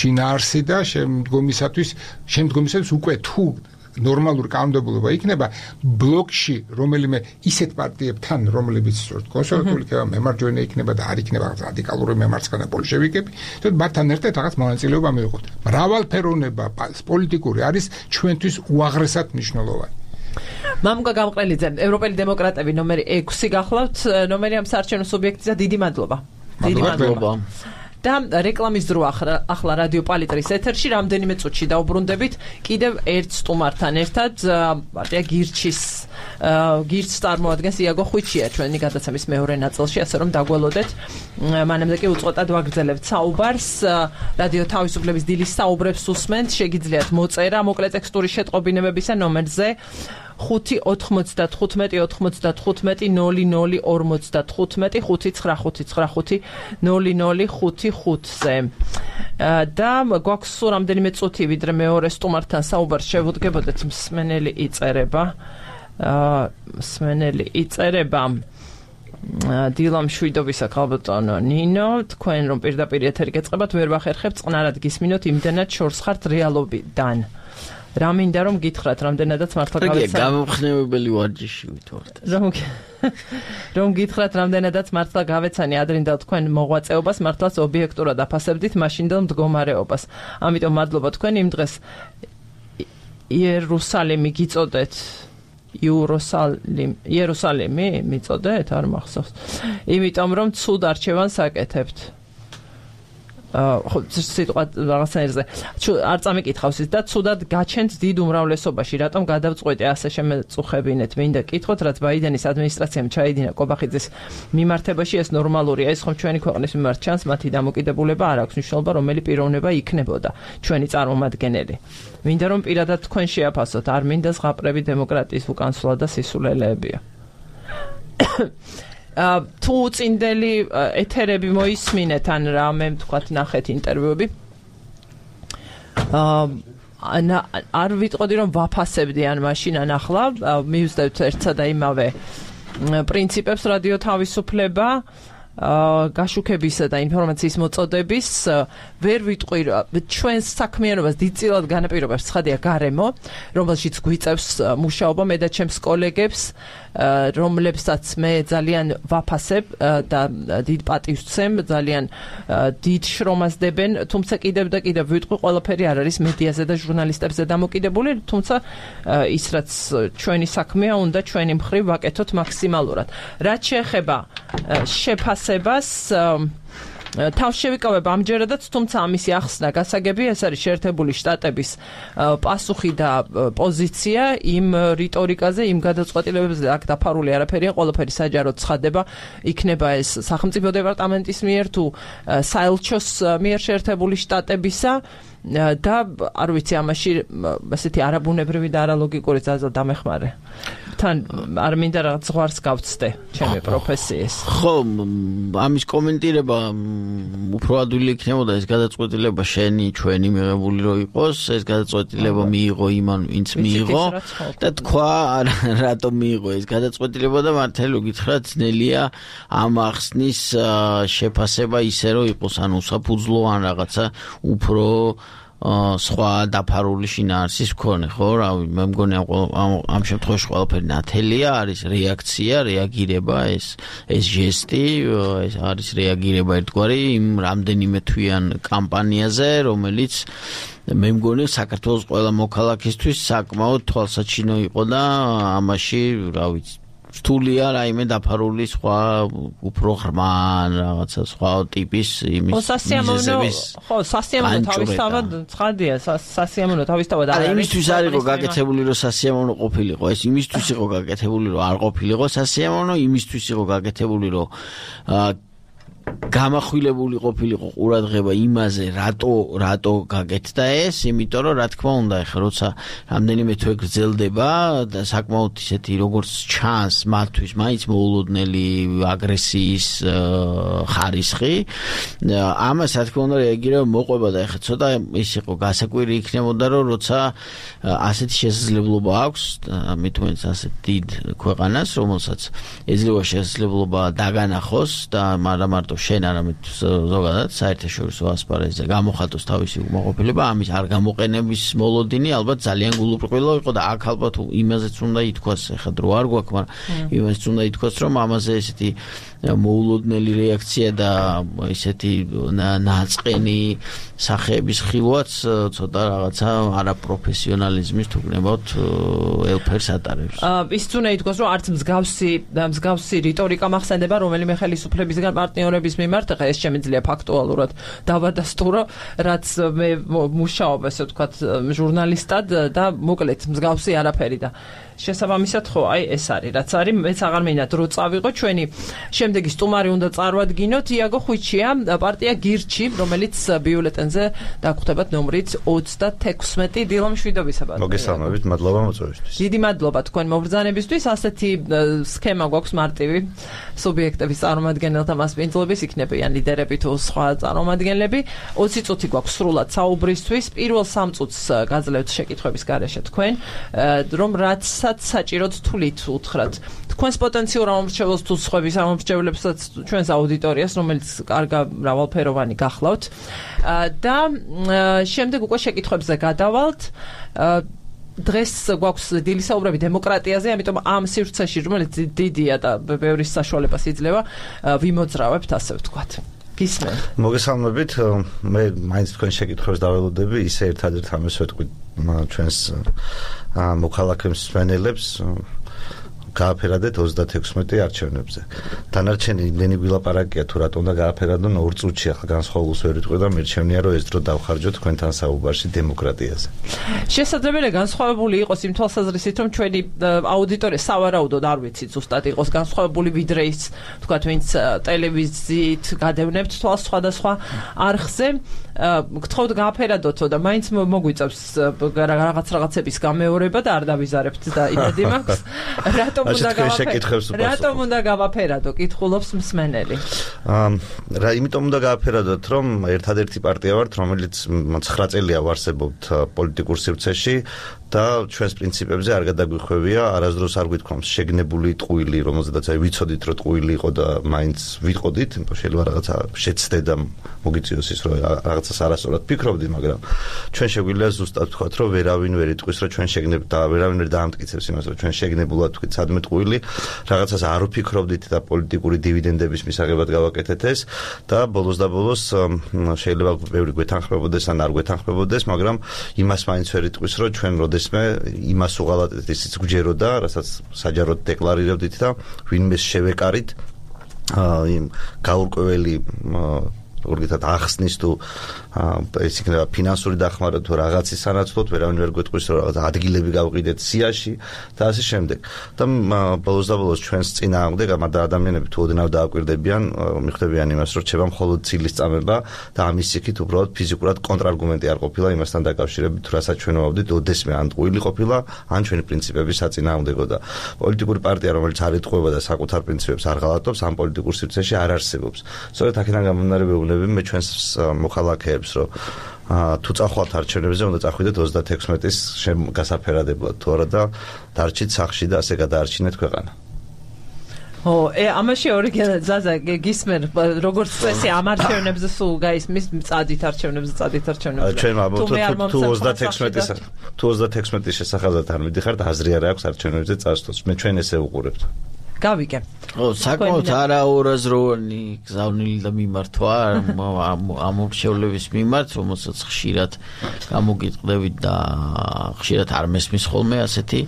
შინაარსი და შემდგომისათვის უკვე თუ ნორმალური კანონმდებლობა იქნება ბლოკში რომელიმე ისეთ პარტიებთან რომლებიც კონსერვატიული იქნება მემარჯვენე იქნება და არ იქნება რადიკალური მემარცხენე ბოლშევიკები თორე მათთან ერთად რაღაც მონაწილეობა მიიღოთ მრავალფეროვნება პოლიტიკური არის ჩვენთვის უაღრესად მნიშვნელოვანი მამუკა გამყრელიძე ევროპელი დემოკრატები ნომერი 6 გახლავთ ნომერი ამ საარჩევნო სუბიექტისა დიდი მადლობა დიდი მადლობა და რეკლამის დრო ახლა რადიო პალიტრის ეთერში რამდენიმე წუთში დაუბრუნდებით კიდევ ერთ სტუმართან ერთად პარტია გირჩს წარმოადგენს იაგო ხვიჩია ჩვენი გადაცემის მეორე ნაწილში ასე რომ დაგველოდეთ მანამდე კი უწყვეტად ვაგრძელებთ საუბარს რადიო თავისუფლების დილის საუბრებს უსმენთ შეგიძლიათ მოწერა მოკლე ტექსტური შეტყობინებებისა ნომერზე 5-95-55-00-55-00-55-00-55-ზე და გვაქვს სულ რამდენიმე წუთი ვიდრე მეორე სტუმართან საუბარს შევუდგებოდეთ მსმენელი იწერება დილა მშვიდობისა ქალბატონო ნინო თქვენ რომ პირდაპირ ეთერი გეწყებათ ვერ ვახერხებთ წყნარად გისმინოთ იმდენად შორს ხართ რეალობიდან რა მინდა რომ გითხრათ რამდენადაც მართლა გავეცანი გამომხნევებელი ვარჯიში ვითვართ რომ გითხრათ რამდენადაც მართლა გავეცანი ადრინდელ თქვენ მოღვაწეობას მართლაც ობიექტურად აფასებდით მაშინდელ მდგომარეობას ამიტომ მადლობა თქვენ იმ დღეს იერუსალიმი გიწოდეთ იერუსალიმი მიწოდეთ არ მახსოვს იმიტომ რომ ცუდ არჩევანს აკეთებთ ხო სიტყვა რაღაცნაირზე არ წამიკითხავს ის და ცუდად გაჩენთ დიდ უმრავლესობაში რატომ გადავწყვეტე ასე შემეწუხებინეთ მინდა კითხოთ რაც ბაიდენის ადმინისტრაციამ ჩაიდინა კობახიძის მიმართებაში ეს ნორმალურია ეს ხომ ჩვენი ქვეყნის მიმართ ჩანს მათი დამოკიდებულება არ აქვს მნიშვნელობა რომელი პიროვნება იქნებოდა ჩვენი წარმომადგენელი მინდა რომ პირადად თქვენ შეაფასოთ არ მინდა ზღაპრები დემოკრატიის უკანსვლა და სისულელეებია თუ წინდელი ეთერები მოისმინეთ ან რამე თქვათ ნახეთ ინტერვიუები არ ვიტყოდი რომ ვაფასებდი ან მაშინ ან ახლა მივსდევთ ერთსა და იმავე პრინციპებს რადიო თავისუფლება გაშუქებისა და ინფორმაციის მოწოდების ვერ ვიტყვი ჩვენს საქმიანობას დიდწილად განაპირობებს ცხადია გარემო რომელშიც გვიწევს მუშაობა მე და ჩემს კოლეგებს რომლებსაც მე ძალიან ვაფასებ და დიდ პატივს ვცემ ძალიან დიდ შრომას დებენ თუმცა კიდევ და კიდევ ვიტყვი ყველაფერი არ არის მედიაზე და ჟურნალისტებზე დამოკიდებული თუმცა ის რაც ჩვენი საქმეა უნდა ჩვენი მხრივ ვაკეთოთ მაქსიმალურად რაც შეეხება შეფასებას თავს შევიკავებ ამჯერადაც თუმცა ამისი ახსნა გასაგებია ეს არის შეერთებული შტატების პასუხი და პოზიცია იმ რიტორიკაზე იმ გადაწყვეტილებებზე აქ დაფარული არაფერია ყველაფერი საჯაროდ ცხადება იქნება ეს სახელმწიფო დეპარტამენტის მიერ თუ საელჩოს მიერ შეერთებული შტატებისა და არ ვიცი ამაში ასეთი არაბუნებრივი და არალოგიკური ძალა დამეხმარე თან არ მინდა რაღაც ზღვარს გავცდე ჩემი პროფესიის ხო ამის კომენტირება უფრო ადვილი იქნებოდა ეს გადაწყვეტილება შენი ჩვენი მიღებული რო იყოს ეს გადაწყვეტილება მიიღო იმან ვინც მიიღო და თქვა რატომ მიიღო ეს გადაწყვეტილება და მართლა გითხრათ ძნელია ამ ახსნის შეფასება ისე რომ იყოს ან უსაფუძვლო ან რაღაცა უფრო სხვა დაფარული შინაარსის მქონე ხო რავი მე მგონი ამ შემთხვევაში ყველაფერი ნათელია არის რეაქცია რეაგირება ეს ჟესტი ეს არის რეაგირება ერთგვარი იმ რამდენიმე თვიან კამპანიაზე რომელიც მე მგონი საქართველოს ყველა მოქალაქისთვის საკმაოდ თვალსაჩინო იყო და ამაში რა ვიცი რთულია რაიმე დაფარული სხვა უფრო ღრმა რაღაცა სხვა ტიპის იმის ხო სასიამოვნო თავისთავად ცხადია სასიამოვნო თავისთავად არა იმისთვის არ იყო გაკეთებული რომ სასიამოვნო ყოფილიყო ეს იმისთვის იყო გაკეთებული რომ არ ყოფილიყო სასიამოვნო იმისთვის იყო გაკეთებული რომ გამახვილებული ყოფილიყო ყურადღება იმაზე, რატო გაკეთდა ეს, იმიტომ რომ რა თქმა უნდა, ეხლა როცა რამდენიმე თვე გრძელდება და საკმაოდ ისეთი როგორც ჩანს მათთვის მაინც მოულოდნელი აგრესიის ხარისხი, ამას რა თქმა უნდა რეაგირება მოყვება და ეხლა ცოტა ის იყო გასაკვირი იქნებოდა, რომ როცა ასეთი შესაძლებლობა აქვს, მithumetes ასეთ დიდ ქვეყანას, რომელსაც ეძლევა შესაძლებლობა დაგანახოს და მარტო შენ არამედ ზოგადად საერთაშორისო ასპარეზზე გამოხატოს თავისი უკმაყოფილება, ამის არ გამოყენების მოლოდინი ალბათ ძალიან გულუბრყვილო იყო და აქ ალბათ იმაზეც უნდა ითქვას, ეხლა დრო არ გვაქვს, მაგრამ იმაზეც უნდა ითქვას, რომ ამაზე ესეთი მოულოდნელი რეაქცია და ესეთი ნაწყენი სახეების ხილვაც ცოტა რაღაცა არაპროფესიონალიზმის თუ გნებავთ ელფერს ატარებს. ის უნდა ითქვას, რომ არც მსგავსი რიტორიკა მახსენდება რომელიმე ხელისუფლებისგან პარტნიორების მიმართ, ხა ეს შემიძლია ფაქტუალურად დავადასტურო, რაც მე მუშაობ, ასე ვთქვათ, ჟურნალისტად და მოკლედ მსგავსი არაფერი და შესაბამისად ხო, აი ეს არის, რაც არის, მეც აღარ მინდა დრო წავიღო ჩვენი შემდეგი სტუმარი უნდა წარვადგინოთ იაგო ხვიჩია, პარტია გირჩი, რომელიც ბიულეტენზე დაგხვდებათ ნომრით 36. დილა მშვიდობისა. მოგესალმებით, მადლობა მოწვევისთვის. დიდი მადლობა თქვენ მობრძანებისთვის, ასეთი სქემა გვაქვს მარტივი სუბიექტების წარმომადგენელთა მასპინძლობის, იქნებიან ლიდერები თუ სხვა წარმომადგენლები. 20 წუთი გვაქვს სრულად საუბრისთვის. პირველ 3 წუთს გაძლევთ შეკითხვების გარეშე თქვენ, რომ რაც საჭიროდ თulit უთხრათ თქვენს პოტენციურ ამომრჩეველს თუ სხვების ამომრჩევლებსაც ჩვენს აუდიტორიას, რომელიც კარგა მრავალფეროვანი გახლავთ და შემდეგ უკვე შეკითხვებზე გადავალთ. დღეს გვაქვს დილის საუბრები დემოკრატიაზე, ამიტომ ამ სივრცეში, რომელიც დიდია და ბევრი საშუალებას იძლევა, ვიმოძრავებთ, ასე ვთქვათ. გისმენ. მოგესალმებით, მე მაინც თქვენ შეკითხვებს დაველოდები, ისე ერთადერთ ამას ვეთქვი ჩვენს მოქალაქეებს მსმენელებს გააფერადეთ 36 არჩევნებზე. დანარჩენი იმდენი გვილაპარაკია თუ რატომ უნდა გააფერადონ 2 წუთში, ახლა განსხვავებულს ვერ ვიტყვი და მირჩევნია რომ ეს დრო დავხარჯოთ თქვენთან საუბარში დემოკრატიაზე. შესაძლებელია განსხვავებული იყოს იმ თვალსაზრისით, რომ ჩვენი აუდიტორია სავარაუდოდ არ ვიცით ზუსტად იყოს განსხვავებული ვიდრე ის, თქვათ, ვინც ტელევიზიით გადევნებთ თვალს სხვადასხვა არხზე. გთხოვთ გააფერადოთო და მაინც მოგვიწევს რაღაცების გამეორება და არ დავიზარებთ და იმედი მაქვს. რატომ უნდა გავაფერადო, კითხულობს მსმენელი. იმიტომ უნდა გააფერადოთ, რომ ერთადერთი პარტია ვართ, რომელიც 9 წელია ვარსებობთ პოლიტიკურ სივრცეში და ჩვენს პრინციპებზე არ გადაგვიხვევია, არასდროს არ გვითქვამს შეგნებული ტყუილი, რომელზედაც ვიცოდით, რომ ტყუილი იყო და მაინც ვიყოდით, შეიძლება რაღაცა შეცდე და მოგიწიოს ის, რომ რაღაცას არასწორად ფიქრობდით, მაგრამ ჩვენ შეგვიძლია ზუსტად ვთქვათ, რომ ვერავინ ვერ იტყვის, რომ ჩვენ შეგნებ და ვერავინ ვერ დაამტკიცებს იმას, რომ ჩვენ შეგნებულად ვთქვით სადმე ტყუილი, რაღაცას არ ვფიქრობდით და პოლიტიკური დივიდენდების მისაღებად გავაკეთეთ ეს და ბოლოს და ბოლოს შეიძლება ბევრი გვეთანხმებოდეს ან არ გვეთანხმებოდეს, მაგრამ იმას მაინც ვერ იტყვის, რომ ჩვენ როდესმე იმას უღალატეთ ისიც გვჯეროდა, რასაც საჯაროდ დეკლარირებდით და ვინმეს შევეკარით იმ გაურკვეველი ორგანიზად ახსნის თუ ეს იქნება ფინანსური დახმარება თუ რაღაცის სანაცვლოდ, ვერავინ ვერ გვეტყვის, რომ რაღაც ადგილები გავყიდეთ სიაში და ასე შემდეგ. და ბოლოს და ბოლოს ჩვენს წინააღმდეგ ამ ადამიანები თუ ოდნავ დააკვირდებიან, მიხვდებიან იმას, რომ რჩება მხოლოდ ცილის წამება და ამის იქით უბრალოდ ფიზიკურად კონტრარგუმენტი არ ყოფილა იმასთან დაკავშირებით, თუ რასაც ჩვენ ვავდით, ოდესმე ან ტყუილი ყოფილა, ან ჩვენი პრინციპების საწინააღმდეგო და პოლიტიკური პარტია, რომელიც არ ეტყუება და საკუთარ პრინციპებს არ ღალატობს, ამ პოლიტიკურ სივრცეში არ არსებობს. სწორედ აქედან გამომდინარე მე ჩვენს მოხალხეებს, რომ თუ წახვალთ არჩევნებზე, უნდა წახვიდეთ 36-ის გასაფერადებლად, თუ არა და დარჩით სახლში და ასე გადაარჩინეთ ქვეყანა. ამაში ორიგინალ ზაზა გისმენ, როგორც წესი ამ არჩევნებზე სულ გაისმის წადით არჩევნებზე. ჩვენ ვაბობთ თუ 36-ის შესახებად არ მიდიხართ, აზრი არ აქვს არჩევნებზე წასვლას. მე ჩვენ ესე უყურებთ. გავიგე. საკმაოდ არაურაზროვანი გზავნილი და მიმართვა ამომრჩევლების მიმართ, რომელსაც ხშირად გამოგიტყდებით და ხშირად არ მესმის ხოლმე ასეთი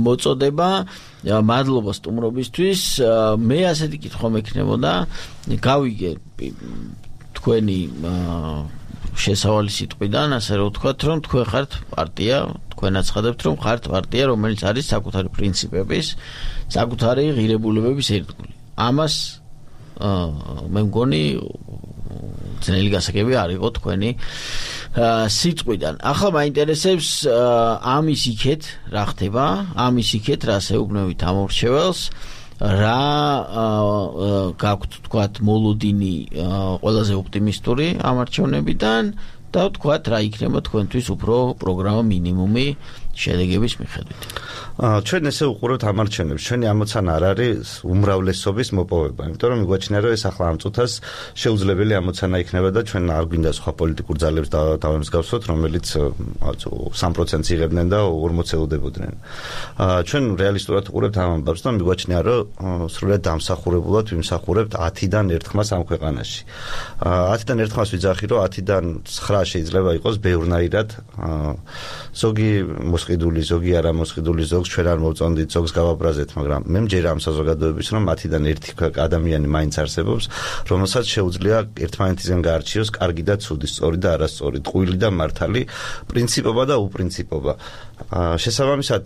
მოწოდება. მადლობა სტუმრობისთვის. მე ასეთი კითხვა მექნებოდა, გავიგე თქვენი შესავალი სიტყვიდან, ასე რომ ვთქვათ, რომ თქვენ ხართ პარტია, თქვენ აცხადებთ, რომ ხართ პარტია, რომელიც არის საკუთარი პრინციპების, საკუთარი ღირებულებების ერთგული. ამას მე მგონი ძნელი გასაგები არ იყო თქვენი სიტყვიდან. ახლა მაინტერესებს ამის იქეთ რა ხდება, ამის იქეთ რა შეუგნევით ამორჩეველს, რა გაქვთ თქვათ მოლოდინი ყველაზე ოპტიმისტური ამ არჩევნებიდან და თქვათ რა იქნება თქვენთვის უფრო პროგრამა მინიმუმი შედეგების მიხედვით. ჩვენ ესე უყურებთ ამ არჩევნებს, ჩვენი ამოცანა არ არის უმრავლესობის მოპოვება, იმიტომ რომ მიგვაჩნია რომ ეს ახლა ამ წუთას შეუძლებელი ამოცანა იქნება და ჩვენ არ გვინდა სხვა პოლიტიკურ ძალებს დავემსგავსოთ, რომელიც 3%-ს იღებდნენ და 40 ელოდებოდნენ. ჩვენ რეალისტურად უყურებთ ამ ამბავს და მიგვაჩნია რომ სრულად დამსახურებულად ვიმსახურებთ 10-დან 1 ხმას ამ ქვეყანაში. 10-დან 1 ხმას ვიძახი რომ 10-დან 9 შეიძლება იყოს ბევრნაირად, ზოგი მოსყიდული, ზოგი არა მოსყიდული, ზოგს ჩვენ არ მოვწონდით, ზოგს გავაბრაზეთ, მაგრამ მე მჯერა ამ საზოგადოების რომ 10-დან 1 ადამიანი მაინც არსებობს, რომელსაც შეუძლია ერთმანეთისგან გაარჩიოს კარგი და ცუდი, სწორი და არასწორი, ტყუილი და მართალი, პრინციპობა და უპრინციპობა. შესაბამისად,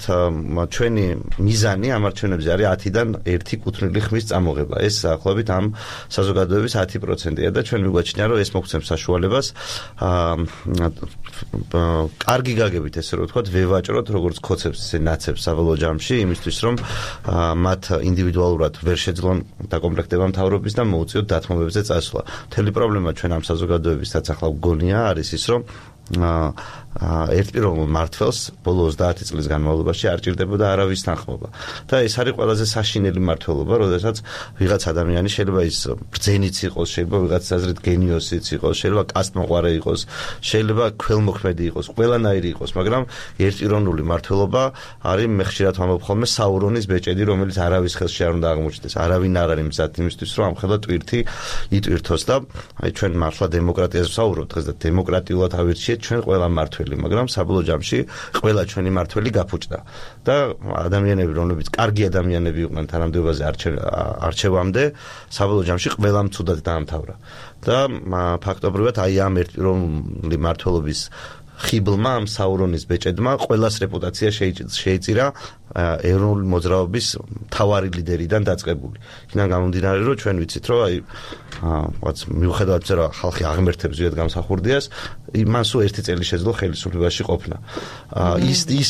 ჩვენი მიზანი ამ არჩევნებზე არის 10-დან 1 კუთვნილი ხმის წამოღება. ეს ახლობით ამ საზოგადოების 10%-ია და ჩვენ მიგვაჩნია, რომ ეს მოგცემს საშუალებას კარგი გაგებით, ესე რომ ვთქვათ, ვევაჭროთ როგორც ქოცებს, ისე ნაცებს საბოლოო ჯამში, იმისთვის რომ მათ ინდივიდუალურად ვერ შეძლონ დაკომპლექტება მთავრობის და მოუწიოთ დათმობებზე წასვლა. მთელი პრობლემა ჩვენ ამ საზოგადოებისაც ახლა გონია არის ის, რომ ერთპიროვნულ მართველს ბოლო 30 წლის განმავლობაში არ ჭირდებოდა არავის თანხმობა. და ეს არის ყველაზე საშინელი მმართველობა, როდესაც ვიღაც ადამიანი შეიძლება ის ბრძენიც იყოს, შეიძლება ვიღაც აზრით გენიოსიც იყოს, შეიძლება კასტმოყვარე იყოს, შეიძლება ქველმოქმედი იყოს, ყველანაირი იყოს, მაგრამ ერთპიროვნული მმართველობა არის მე ხშირად ვამბობ ხოლმე საურონის ბეჭედი, რომელიც არავის ხელში არ უნდა აღმოჩნდეს. არავინ არ არის მზად იმისთვის, რომ ამხელა ტვირთი იტვირთოს და აი ჩვენ მართლა დემოკრატიაზე ვსაუბრობთ დღეს და დემოკრატიულად ავირჩიეთ ჩვენ ყველა მმართველი, მაგრამ საბოლოო ჯამში ყველა ჩვენი მმართველი გაფუჭდა და ადამიანები, რომლებიც კარგი ადამიანები იყვნენ თანამდებობაზე არჩევამდე, საბოლოო ჯამში ყველამ ცუდად დაამთავრა. და ფაქტობრივად აი ამ ერთპიროვნული მმართველობის ხიბლმა, ამ საურონის ბეჭედმა ყველას რეპუტაცია შეიწირა ეროვნული მოძრაობის მთავარი ლიდერიდან დაწყებული. იქიდან გამომდინარე, რომ ჩვენ ვიცით, რომ აი მიუხედავად იმისა, რომ ხალხი აღმერთებს ზუსტად გამსახურდიას, მან სულ 1 წელი შეძლო ხელისუფლებაში ყოფნა. ის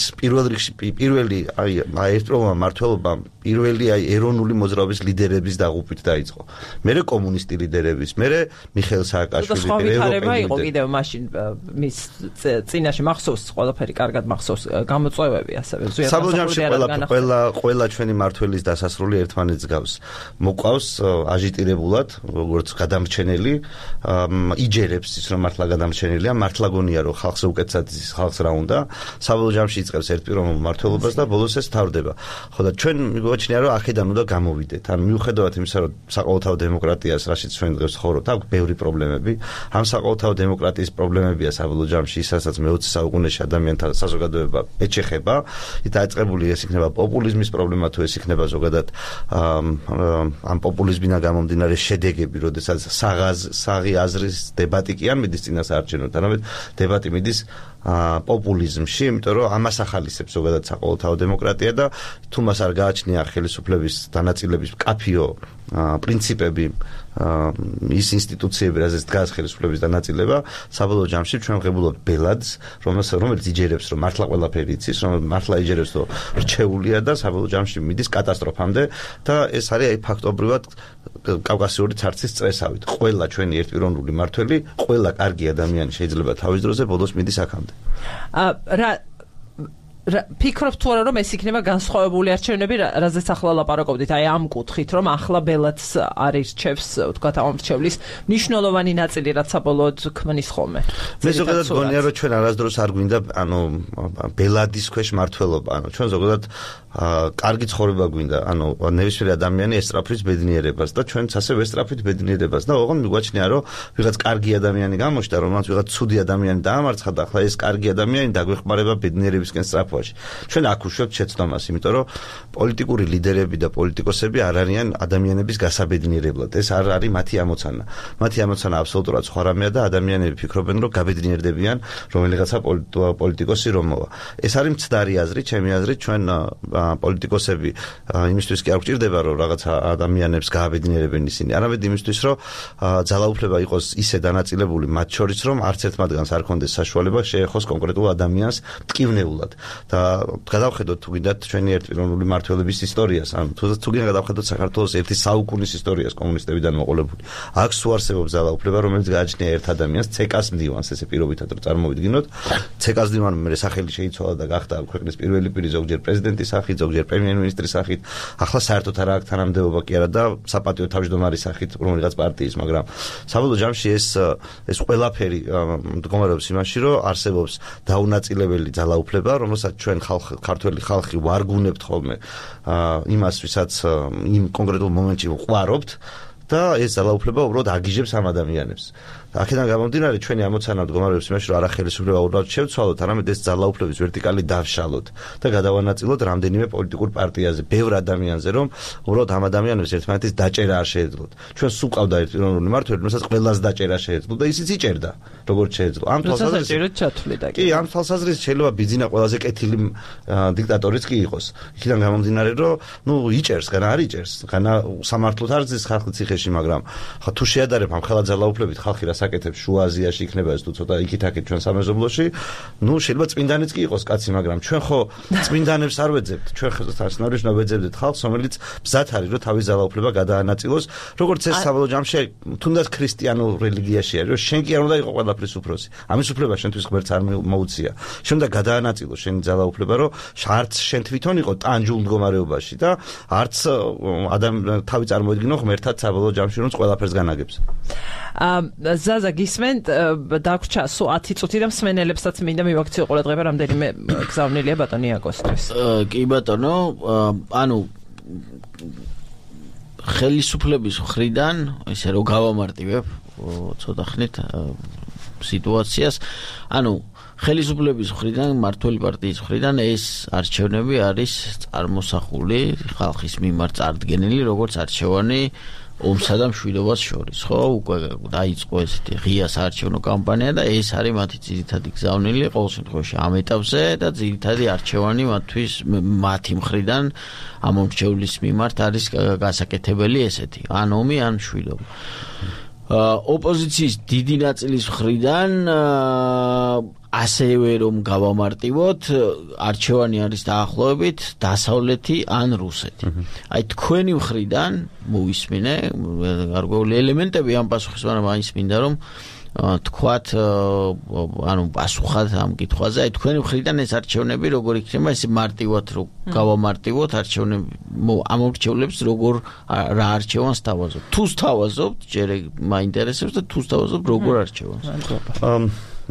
პირველი აი ერთპიროვნულმა მმართველობამ პირველი აი ეროვნული მოძრაობის ლიდერების დაღუპვით დაიწყო. მერე კომუნისტი ლიდერების, მერე მიხეილ სააკაშვილის ევროპელი იყო კიდევ მაშინ მის წინაშე მახსოვს, ყველაფერი კარგად მახსოვს, გამოწვევები ასევე ზუსტად ყველა ჩვენი მმართველის დასასრული ერთმანეთს გავს. მოყავს აჟიტირებულად, როგორც გადამრჩენელი, იჯერებს ის რომ მართლა გადამრჩენელია, მართლა გონია რომ ხალხს უკეთსაც ხალხს რა უნდა, საბოლოო ჯამში იწყებს ერთპიროვნულ მმართველობას და ბოლოს ეს თავდება. ხო და ჩვენ მიგვაჩნია რომ აქედან უნდა გამოვიდეთ. ანუ მიუხედავად იმისა, რომ საყოველთაო დემოკრატიას, რაშიც ჩვენ დღეს ვცხოვრობთ, აქვს ბევრი პრობლემები. ამ საყოველთაო დემოკრატიის პრობლემებია საბოლოო ჯამში ისაც მე-20 საუკუნეში ადამიანთა საზოგადოება ეჩეხება. დაიწყებული ეს იქნება პოპულიზმის პრობლემა, თუ ეს იქნება ზოგადად ამ პოპულიზმიდან გამომდინარე შედეგები, როდესაც საღი აზრის დებატი კი არ მიდის წინასაარჩევნოდ, არამედ დებატი მიდის პოპულიზმში, იმიტომ რომ ამას ახალისებს ზოგადად საყოველთაო დემოკრატია და თუ მას არ გააჩნია ხელისუფლების დანაწილების მკაფიო პრინციპები, ის ინსტიტუციები, რაზეც დგას ხელისუფლების დანაწილება, საბოლოო ჯამში ჩვენ ვღებულობთ ბელადს, რომელიც იჯერებს, რომ მართლა ყველაფერი იცის, რომ მართლა იჯერებს, რომ რჩეულია და საბოლოო ჯამში მიდის კატასტროფამდე და ეს არის აი ფაქტობრივად კავკასიური ცარცის წრესავით. ყველა ჩვენი ერთპიროვნული მმართველი, ყველა კარგი ადამიანი შეიძლება თავის დროზე ბოლოს მიდის აქამდე. ფიქრობთ თუ არა რომ ეს იქნება განსხვავებული არჩევნები, რაზეც ახლა ლაპარაკობდით, აი ამ კუთხით, რომ ახლა ბელადს არის რჩევს, ვთქვათ, ამ რჩევლის მნიშვნელოვანი ნაწილი, რაც საბოლოოდ ქმნის ხოლმე. მე ზოგადად გონია, რომ ჩვენ არასდროს არ გვინდა, ბელადის ქვეშ მმართველობა, ჩვენ ზოგადად კარგი ცხოვრება გვინდა, ნებისმიერი ადამიანი ესწრაფვის ბედნიერებას და ჩვენც ასევე ესწრაფვით ბედნიერებას და ოღონდ მიგვაჩნია, რომ ვიღაც კარგი ადამიანი გამოჩნდა, რომელსაც ვიღაც ცუდი ადამიანი დაამარცხა და ახლა ეს კარგი ადამიანი დაგვეხმარება ბედნიერებისკენ სწრაფ საფუძვაში. ჩვენ აქ უშვებთ შეცდომას, იმიტომ რომ პოლიტიკური ლიდერები და პოლიტიკოსები არ არიან ადამიანების გასაბედნიერებლად. ეს არ არის მათი ამოცანა. მათი ამოცანა აბსოლუტურად სხვა რამეა და ადამიანები ფიქრობენ, რომ გაბედნიერდებიან რომელიღაცა პოლიტიკოსი რომ მოვა. ეს არის მცდარი აზრი, ჩემი აზრით, ჩვენ პოლიტიკოსები იმისთვის კი არ გვჭირდება, რომ რაღაცა ადამიანებს გააბედნიერებენ ისინი. არამედ იმისთვის, რომ ძალაუფლება იყოს ისე დანაწილებული მათ შორის, რომ არც ერთ მათგანს არ ქონდეს საშუალება შეეხოს კონკრეტულ ადამიანს მტკივნეულად. და გადავხედოთ თუ გინდათ ჩვენი ერთპიროვნული მმართველობის ისტორიას, ან თუ გინდა გადავხედოთ საქართველოს ერთი საუკუნის ისტორიას კომუნისტებიდან მოყოლებული. აქ სულ არსებობს ძალაუფლება, რომელიც გააჩნია ერთ ადამიანს, ცეკას მდივანს, ესე პირობითად რომ წარმოვიდგინოთ. ცეკას მდივანმა მე სახელი შეიცვალა და გახდა ქვეყნის პირველი პირი, ზოგჯერ პრეზიდენტის სახით, ზოგჯერ პრემიერ-მინისტრის სახით. ახლა საერთოდ არ აქვს თანამდებობა კი არა და საპატიო თავმჯდომარის სახით რომელიღაც პარტიის, მაგრამ საბოლოო ჯამში ეს ყველაფერი მდგომარეობს იმაში, რომ არსებობს დაუნაწილებელი ძალაუფლება, რომელსაც ჩვენ ქართველი ხალხი ვარგუნებთ ხოლმე იმას, ვისაც იმ კონკრეტულ მომენტში ვყვარობთ და ეს ძალაუფლება უბრალოდ აგიჟებს ამ ადამიანებს. აქედან გამომდინარე ჩვენი ამოცანა მდგომარეობს იმაში, რომ არახელისუფლება უბრალოდ შევცვალოთ, არამედ ეს ძალაუფლების ვერტიკალი დავშალოთ და გადავანაწილოთ რამდენიმე პოლიტიკურ პარტიაზე, ბევრ ადამიანზე, რომ უბრალოდ ამ ადამიანებს ერთმანეთის დაჭერა არ შეეძლოთ. ჩვენ სულ ყავდა ერთპიროვნული მმართველი, რომელსაც ყველას დაჭერა შეეძლო და ისიც იჭერდა, როგორც შეეძლო. ამ თვალსაზრისით კი, ამ თვალსაზრისით შეიძლება ბიძინა ყველაზე კეთილი დიქტატორიც კი იყოს. იქიდან გამომდინარე, რომ იჭერს, განა არ იჭერს, განა სამართლოდ არ ზის ხალხი ციხეში, მაგრამ ხა თუ შეადარებ ამ ხელა ძალაუფლებით ხალხი საკეთებს შუა აზიაში იქნება ეს თუ ცოტა იქით-აქეთ ჩვენ სამეზობლოში, შეიძლება წმინდანიც კი იყოს კაცი, მაგრამ ჩვენ ხო წმინდანებს არ ვეძებთ, ჩვენ ხო თასნავრიშნა ვეძებდით ხალხს, რომელიც მზად არის, რომ თავის ძალაუფლება გადაანაწილოს, როგორც ეს საბოლოო ჯამში თუნდაც ქრისტიანულ რელიგიაში არის, რომ შენ კი არ უნდა იყო ყველაფრის უფროსი. ამის უფლება შენთვის ღმერთს არ მოუწია. შენ უნდა გადაანაწილოს შენი ძალაუფლება, რომ არც შენ თვითონ იყო ტანჯულ მდგომარეობაში და არც თავი წარმოედგინო ღმერთად საბოლოო ჯამში, რომ ყველაფერს განაგებს. ზაზა გისმენთ, დაგვრჩა სულ 10 წუთი და მსმენელებსაც მინდა მივაქციო ყურადღება რამდენიმე გზავნილია ბატონი აკოსთვის. კი ბატონო, ანუ ხელისუფლების მხრიდან ესე რომ გავამარტივებ ცოტა ხნით სიტუაციას, ანუ ხელისუფლების მხრიდან, მმართველი პარტიის მხრიდან ეს არჩევნები არის წარმოსახული ხალხის მიმართ წარდგენილი როგორც არჩევანი ომსა და მშვიდობას შორის, ხო? უკვე დაიწყო ესეთი ღია საარჩევნო კამპანია და ეს არის მათი ძირითადი გზავნილი ყოველ შემთხვევაში ამ ეტაპზე და ძირითადი არჩევანი მათთვის მათი მხრიდან ამ მომრჩევლის მიმართ არის გასაკეთებელი ესეთი, ან ომი, ან მშვიდობა. ოპოზიციის დიდი ნაწილის მხრიდან ასევე რომ გავამარტივოთ, არჩევანი არის დაახლოებით დასავლეთი ან რუსეთი. აი თქვენი მხრიდან მოვისმინე გარკვეული ელემენტები ამ პასუხის, მაგრამ აიც მინდა რომ თქვათ, ანუ პასუხად ამ კითხვაზე, აი თქვენი მხრიდან ეს არჩევნები როგორ იქნება, ესე მარტივად რომ გავამარტივოთ არჩევნები, ამ არჩევნებს როგორ რა არჩევანს თავაზობთ. თუ თავაზობთ, ჯერ მაინტერესებს და თუ თავაზობთ როგორ არჩევანს.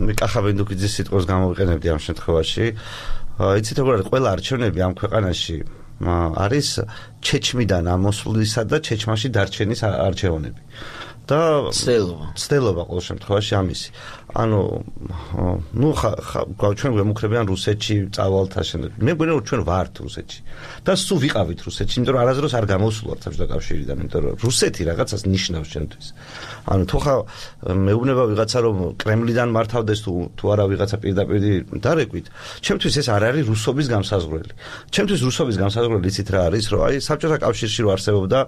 მე კახაბენდუკიძის სიტყვას გამოვიყენებდი ამ შემთხვევაში. იცით როგორ არის, ყველა არჩევნები ამ ქვეყანაში არის ჩეჩმიდან ამოსვლისა და ჩეჩმაში დარჩენის არჩევნები. და ცდელობა ყოველ შემთხვევაში ამისი. ანუ ჩვენ გვემუქრებიან რუსეთში წავალთა შემდეგ. მე მგონია რომ ჩვენ ვართ რუსეთში და სულ ვიყავით რუსეთში, იმიტომ რომ არასდროს არ გამოსულვართ საბჭოთა კავშირიდან, იმიტომ რომ რუსეთი რაღაცას ნიშნავს ჩვენთვის. ანუ თუ ხა მეუბნება ვიღაცა რომ კრემლიდან მართავდეს თუ არა ვიღაცა პირდაპირ დარეკვით, ჩემთვის ეს არ არის რუსობის გამსაზღვრელი. ჩემთვის რუსობის გამსაზღვრელი იცით რა არის, რომ აი საბჭოთა კავშირში რო არსებობდა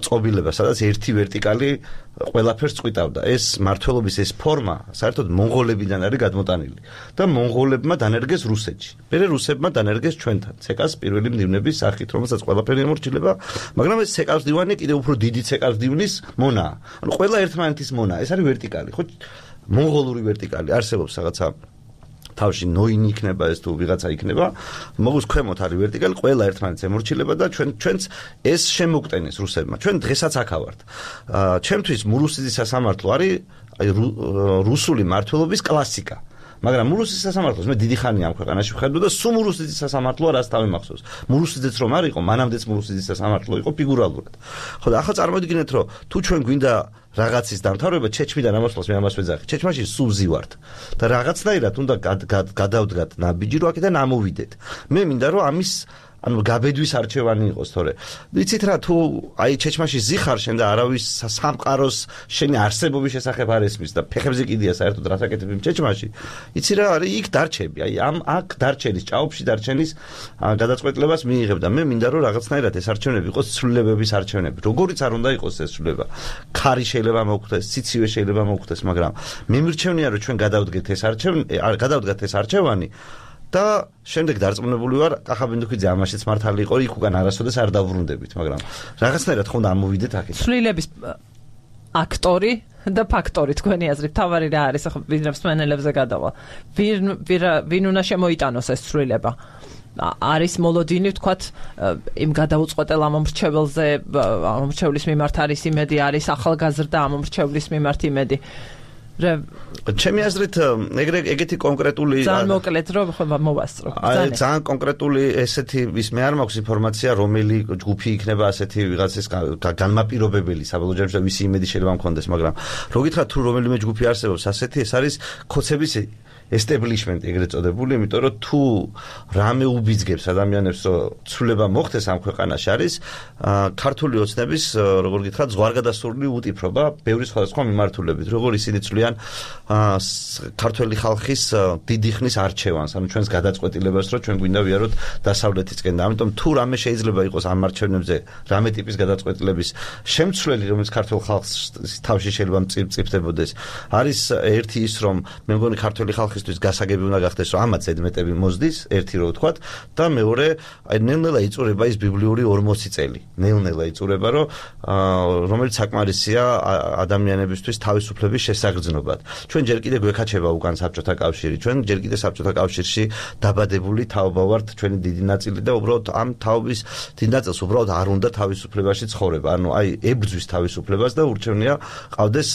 წყობილება, სადაც ერთი ვერტიკალი ყველაფერს წვიტავდა. ეს მართლობის ეს ფორმა საერთოდ მონღოლებიდან არის გადმოტანილი და მონღოლებმა დანერგეს რუსეთში. მერე რუსებმა დანერგეს ჩვენთან. ცეკას პირველი მდივნების სახით, რომელსაც ყველაფერი ემორჩილება, მაგრამ ეს ცეკას მდივანი კიდევ უფრო დიდი ცეკას მდივნის მონაა. ანუ ყველა ერთმანეთის მონა. ეს არის ვერტიკალი, ხო? მონღოლური ვერტიკალი არსებობს რაღაცა თავში ნოინი იქნება ეს თუ ვიღაცა იქნება, მოგოს ქვემოთ არის ვერტიკალი, ყველა ერთმანეთს ემორჩილება და ჩვენც ეს შემოგტენეს რუსებმა. ჩვენ დღესაც აქ ავართ. ჩემთვის მურუსიძის სასამართლო არის რუსული მმართველობის კლასიკა. მაგრამ მურუსის სასამართლოს მე დიდი ხანია ამ ქვეყანაში ვხედავ და სულ მურუსის სასამართლოა რაც თავი მახსოვს. მურუსიძეც რომ არ იყო, მანამდეც მურუსის სასამართლო იყო ფიგურალურად. ხო და ახლა წარმოვიდგინეთ რომ თუ ჩვენ გვინდა რაღაცის დამთავრება ჩეჩმიდან ამოსვლას მე ამას ვეძახი. ჩეჩმაში სულ ვზივართ და რაღაცნაირად უნდა გადავდგათ ნაბიჯი რომ აქედან ამოვიდეთ. მე მინდა რომ ამის ანუ გაბედვის არჩევანი იყოს თორე. ვიცით რა თუ აი ჩეჩმაში ზიხარ შენ და არავის სამყაროს შენი არსებობის შესახებ არ ესმის და ფეხებზე კიდია საერთოდ რასაკეთებ იმ ჩეჩმაში. იცი რა არის იქ დარჩები. აი ამ აქ დარჩენის ჭაობში დარჩენის გადაწყვეტილებას მიიღებ და მე მინდა რომ რაღაცნაირად ეს არჩევნები იყოს ცვლილებების არჩევნები. როგორიც არ უნდა იყოს ეს ცვლილება. ქარი შეიძლება მოგხვდეს, სიცივე შეიძლება მოგხვდეს, მაგრამ მე მირჩევნია რომ ჩვენ გადავდგეთ ეს არჩევანი და შემდეგ დარწმუნებული ვარ კახაბინდუქიძე ამაშიც მართალი იყო იქ უკან არასოდეს არ დავბრუნდებით მაგრამ რაღაცნაირად ხომ ამოვიდეთ აქეთ ცვლილების აქტორი და ფაქტორი თქვენი აზრით თავარი რა არის ახლა ვინმე მსმენელებზე გადავალ ვინ უნდა შემოიტანოს ეს ცვლილება არის მოლოდინი ვთქვათ იმ გადაუწყვეტელ ამომრჩეველზე ამომრჩევლის მიმართ არის იმედი არის ახალგაზრდა ამომრჩევლის მიმართ იმედი ჩემი აზრით ეგეთი კონკრეტული ძალიან მოკლედ რომ მოვასწრო. ძალიან კონკრეტული ესეთი ვის მე არ მაქვს ინფორმაცია რომელი ჯგუფი იქნება ასეთი ვიღაცის განმაპირობებელი საბოლოო ჯამში და ვისი იმედი შეიძლება მქონდეს, მაგრამ რო გითხრათ თუ რომელიმე ჯგუფი არსებობს ასეთი ეს არის ხოცების establishment ეგრეთ წოდებული, იმიტომ რომ თუ რამე უბიძგებს ადამიანებს რომ ცვლილება მოხდეს ამ ქვეყანაში არის ქართული ოცნების როგორ გითხრათ ზღვარგადასრული უტიფრობა ბევრი სხვადასხვა მიმართულებით, როგორ ისინი ცვლიან ქართველი ხალხის დიდი ხნის არჩევანს, ანუ ჩვენს გადაწყვეტილებას რომ ჩვენ გვინდა ვიაროთ დასავლეთისკენ და ამიტომ თუ რამე შეიძლება იყოს ამ არჩევნებზე რამე ტიპის გადაწყვეტილების შემცვლელი რომელიც ქართულ ხალხს თავში შეიძლება მწიფდებოდეს არის ერთი ის რომ მე მგონი ქართველი ხალხისთვის გასაგები უნდა გახდეს რომ ამაც ზედმეტები მოზდის ერთი რო ვთქვათ და მეორე აი ნელ-ნელა იწურება ის ბიბლიური 40 წელი ნელ-ნელა იწურება რომ რომელიც საკმარისია ადამიანებისთვის თავისუფლების შესაგრძნობად ჩვენ ჯერ კიდე გვექაჩება უკან საბჭოთა კავშირი ჩვენ ჯერ კიდე საბჭოთა კავშირში დაბადებული თაობა ვართ ჩვენი დიდი ნაწილი და უბრალოდ ამ თაობის დიდ ნაწილს უბრალოდ არ უნდა თავისუფლებაში ცხოვრება ანუ აი ებრძვის თავისუფლებას და ურჩევნია ყავდეს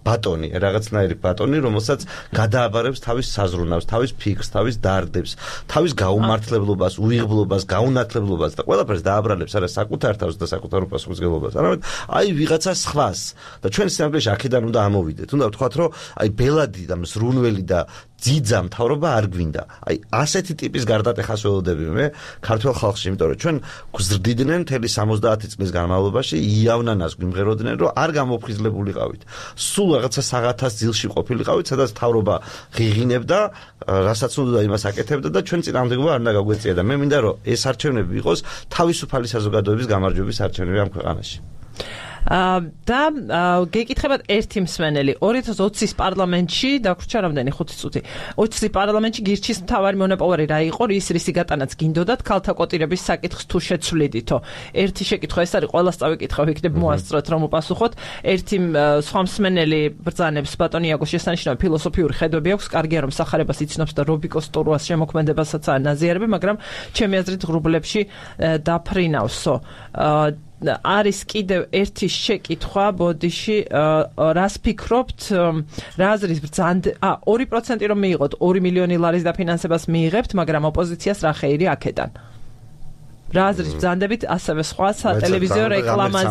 ბატონი რაღაცნაირი ბატონი რომელსაც გადააბარებს თავის საზრუნავს თავის ფიქრს თავის დარდებს თავის გაუმართლებლობას უიღბლობას გაუნათლებლობას და ყველაფერს დააბრალებს არა საკუთარ თავს და საკუთარ უპასუხისმგებლობას არამედ აი ვიღაცა სხვას და ჩვენ სინამდვილეში აქედან უნდა ამოვიდეთ უნდა ვთქვათ რომ აი ბელადი და მსრუნველი და ძიძა მთავრობა არ გვინდა. აი ასეთი ტიპის გარდატეხას ველოდები მე ქართულ ხალხში, იმიტომ რომ ჩვენ გვზრდიდნენ მთელი 70 წლის განმავლობაში იავნანას გვიმღეროდნენ, რომ არ გამოფხიზლებულიყავით. სულ რაღაცა საღათას ძილში ყოფილიყავით, სადაც მთავრობა ღიღინებდა, რასაც უნდა იმას აკეთებდა და ჩვენ წინააღმდეგობა არ უნდა გაგვეწია და მე მინდა რომ ეს არჩევნები იყოს თავისუფალი საზოგადოების გამარჯვების არჩევნები ამ ქვეყანაში. და გეკითხებათ ერთი მსმენელი 2020-ის პარლამენტში დაგვრჩა რამდენი 5 წუთი 20-ის პარლამენტში გირჩის მთავარი მონოპოვარი რა იყო რისი გატანაც გინდოდათ ქალთა კვოტირების საკითხს თუ შეცვლიდითო ერთი შეკითხვა ეს არის ყველას წავიკითხავ იქნებ მოასწროთ რომ უპასუხოთ ერთი სხვა მსმენელი ბრძანებს ბატონი იაგოს შესანიშნავი ფილოსოფიური ხედვები აქვს კარგია რომ სახარებას იცნობს და რობიკოს ტურუას შემოქმედებასაც ანაზიარები მაგრამ ჩემი აზრით ღრუბლებში დაფრინავსო არის კიდევ ერთი შეკითხვა ბოდიში რას ფიქრობთ რა აზრის ბრძანდ 2% რომ მიიღოთ 2 მილიონი ლარის დაფინანსებას მიიღებთ მაგრამ ოპოზიციას რა ხეირი აქედან რა აზრის ბრძანდებით ასევე სხვა სატელევიზიო რეკლამაზე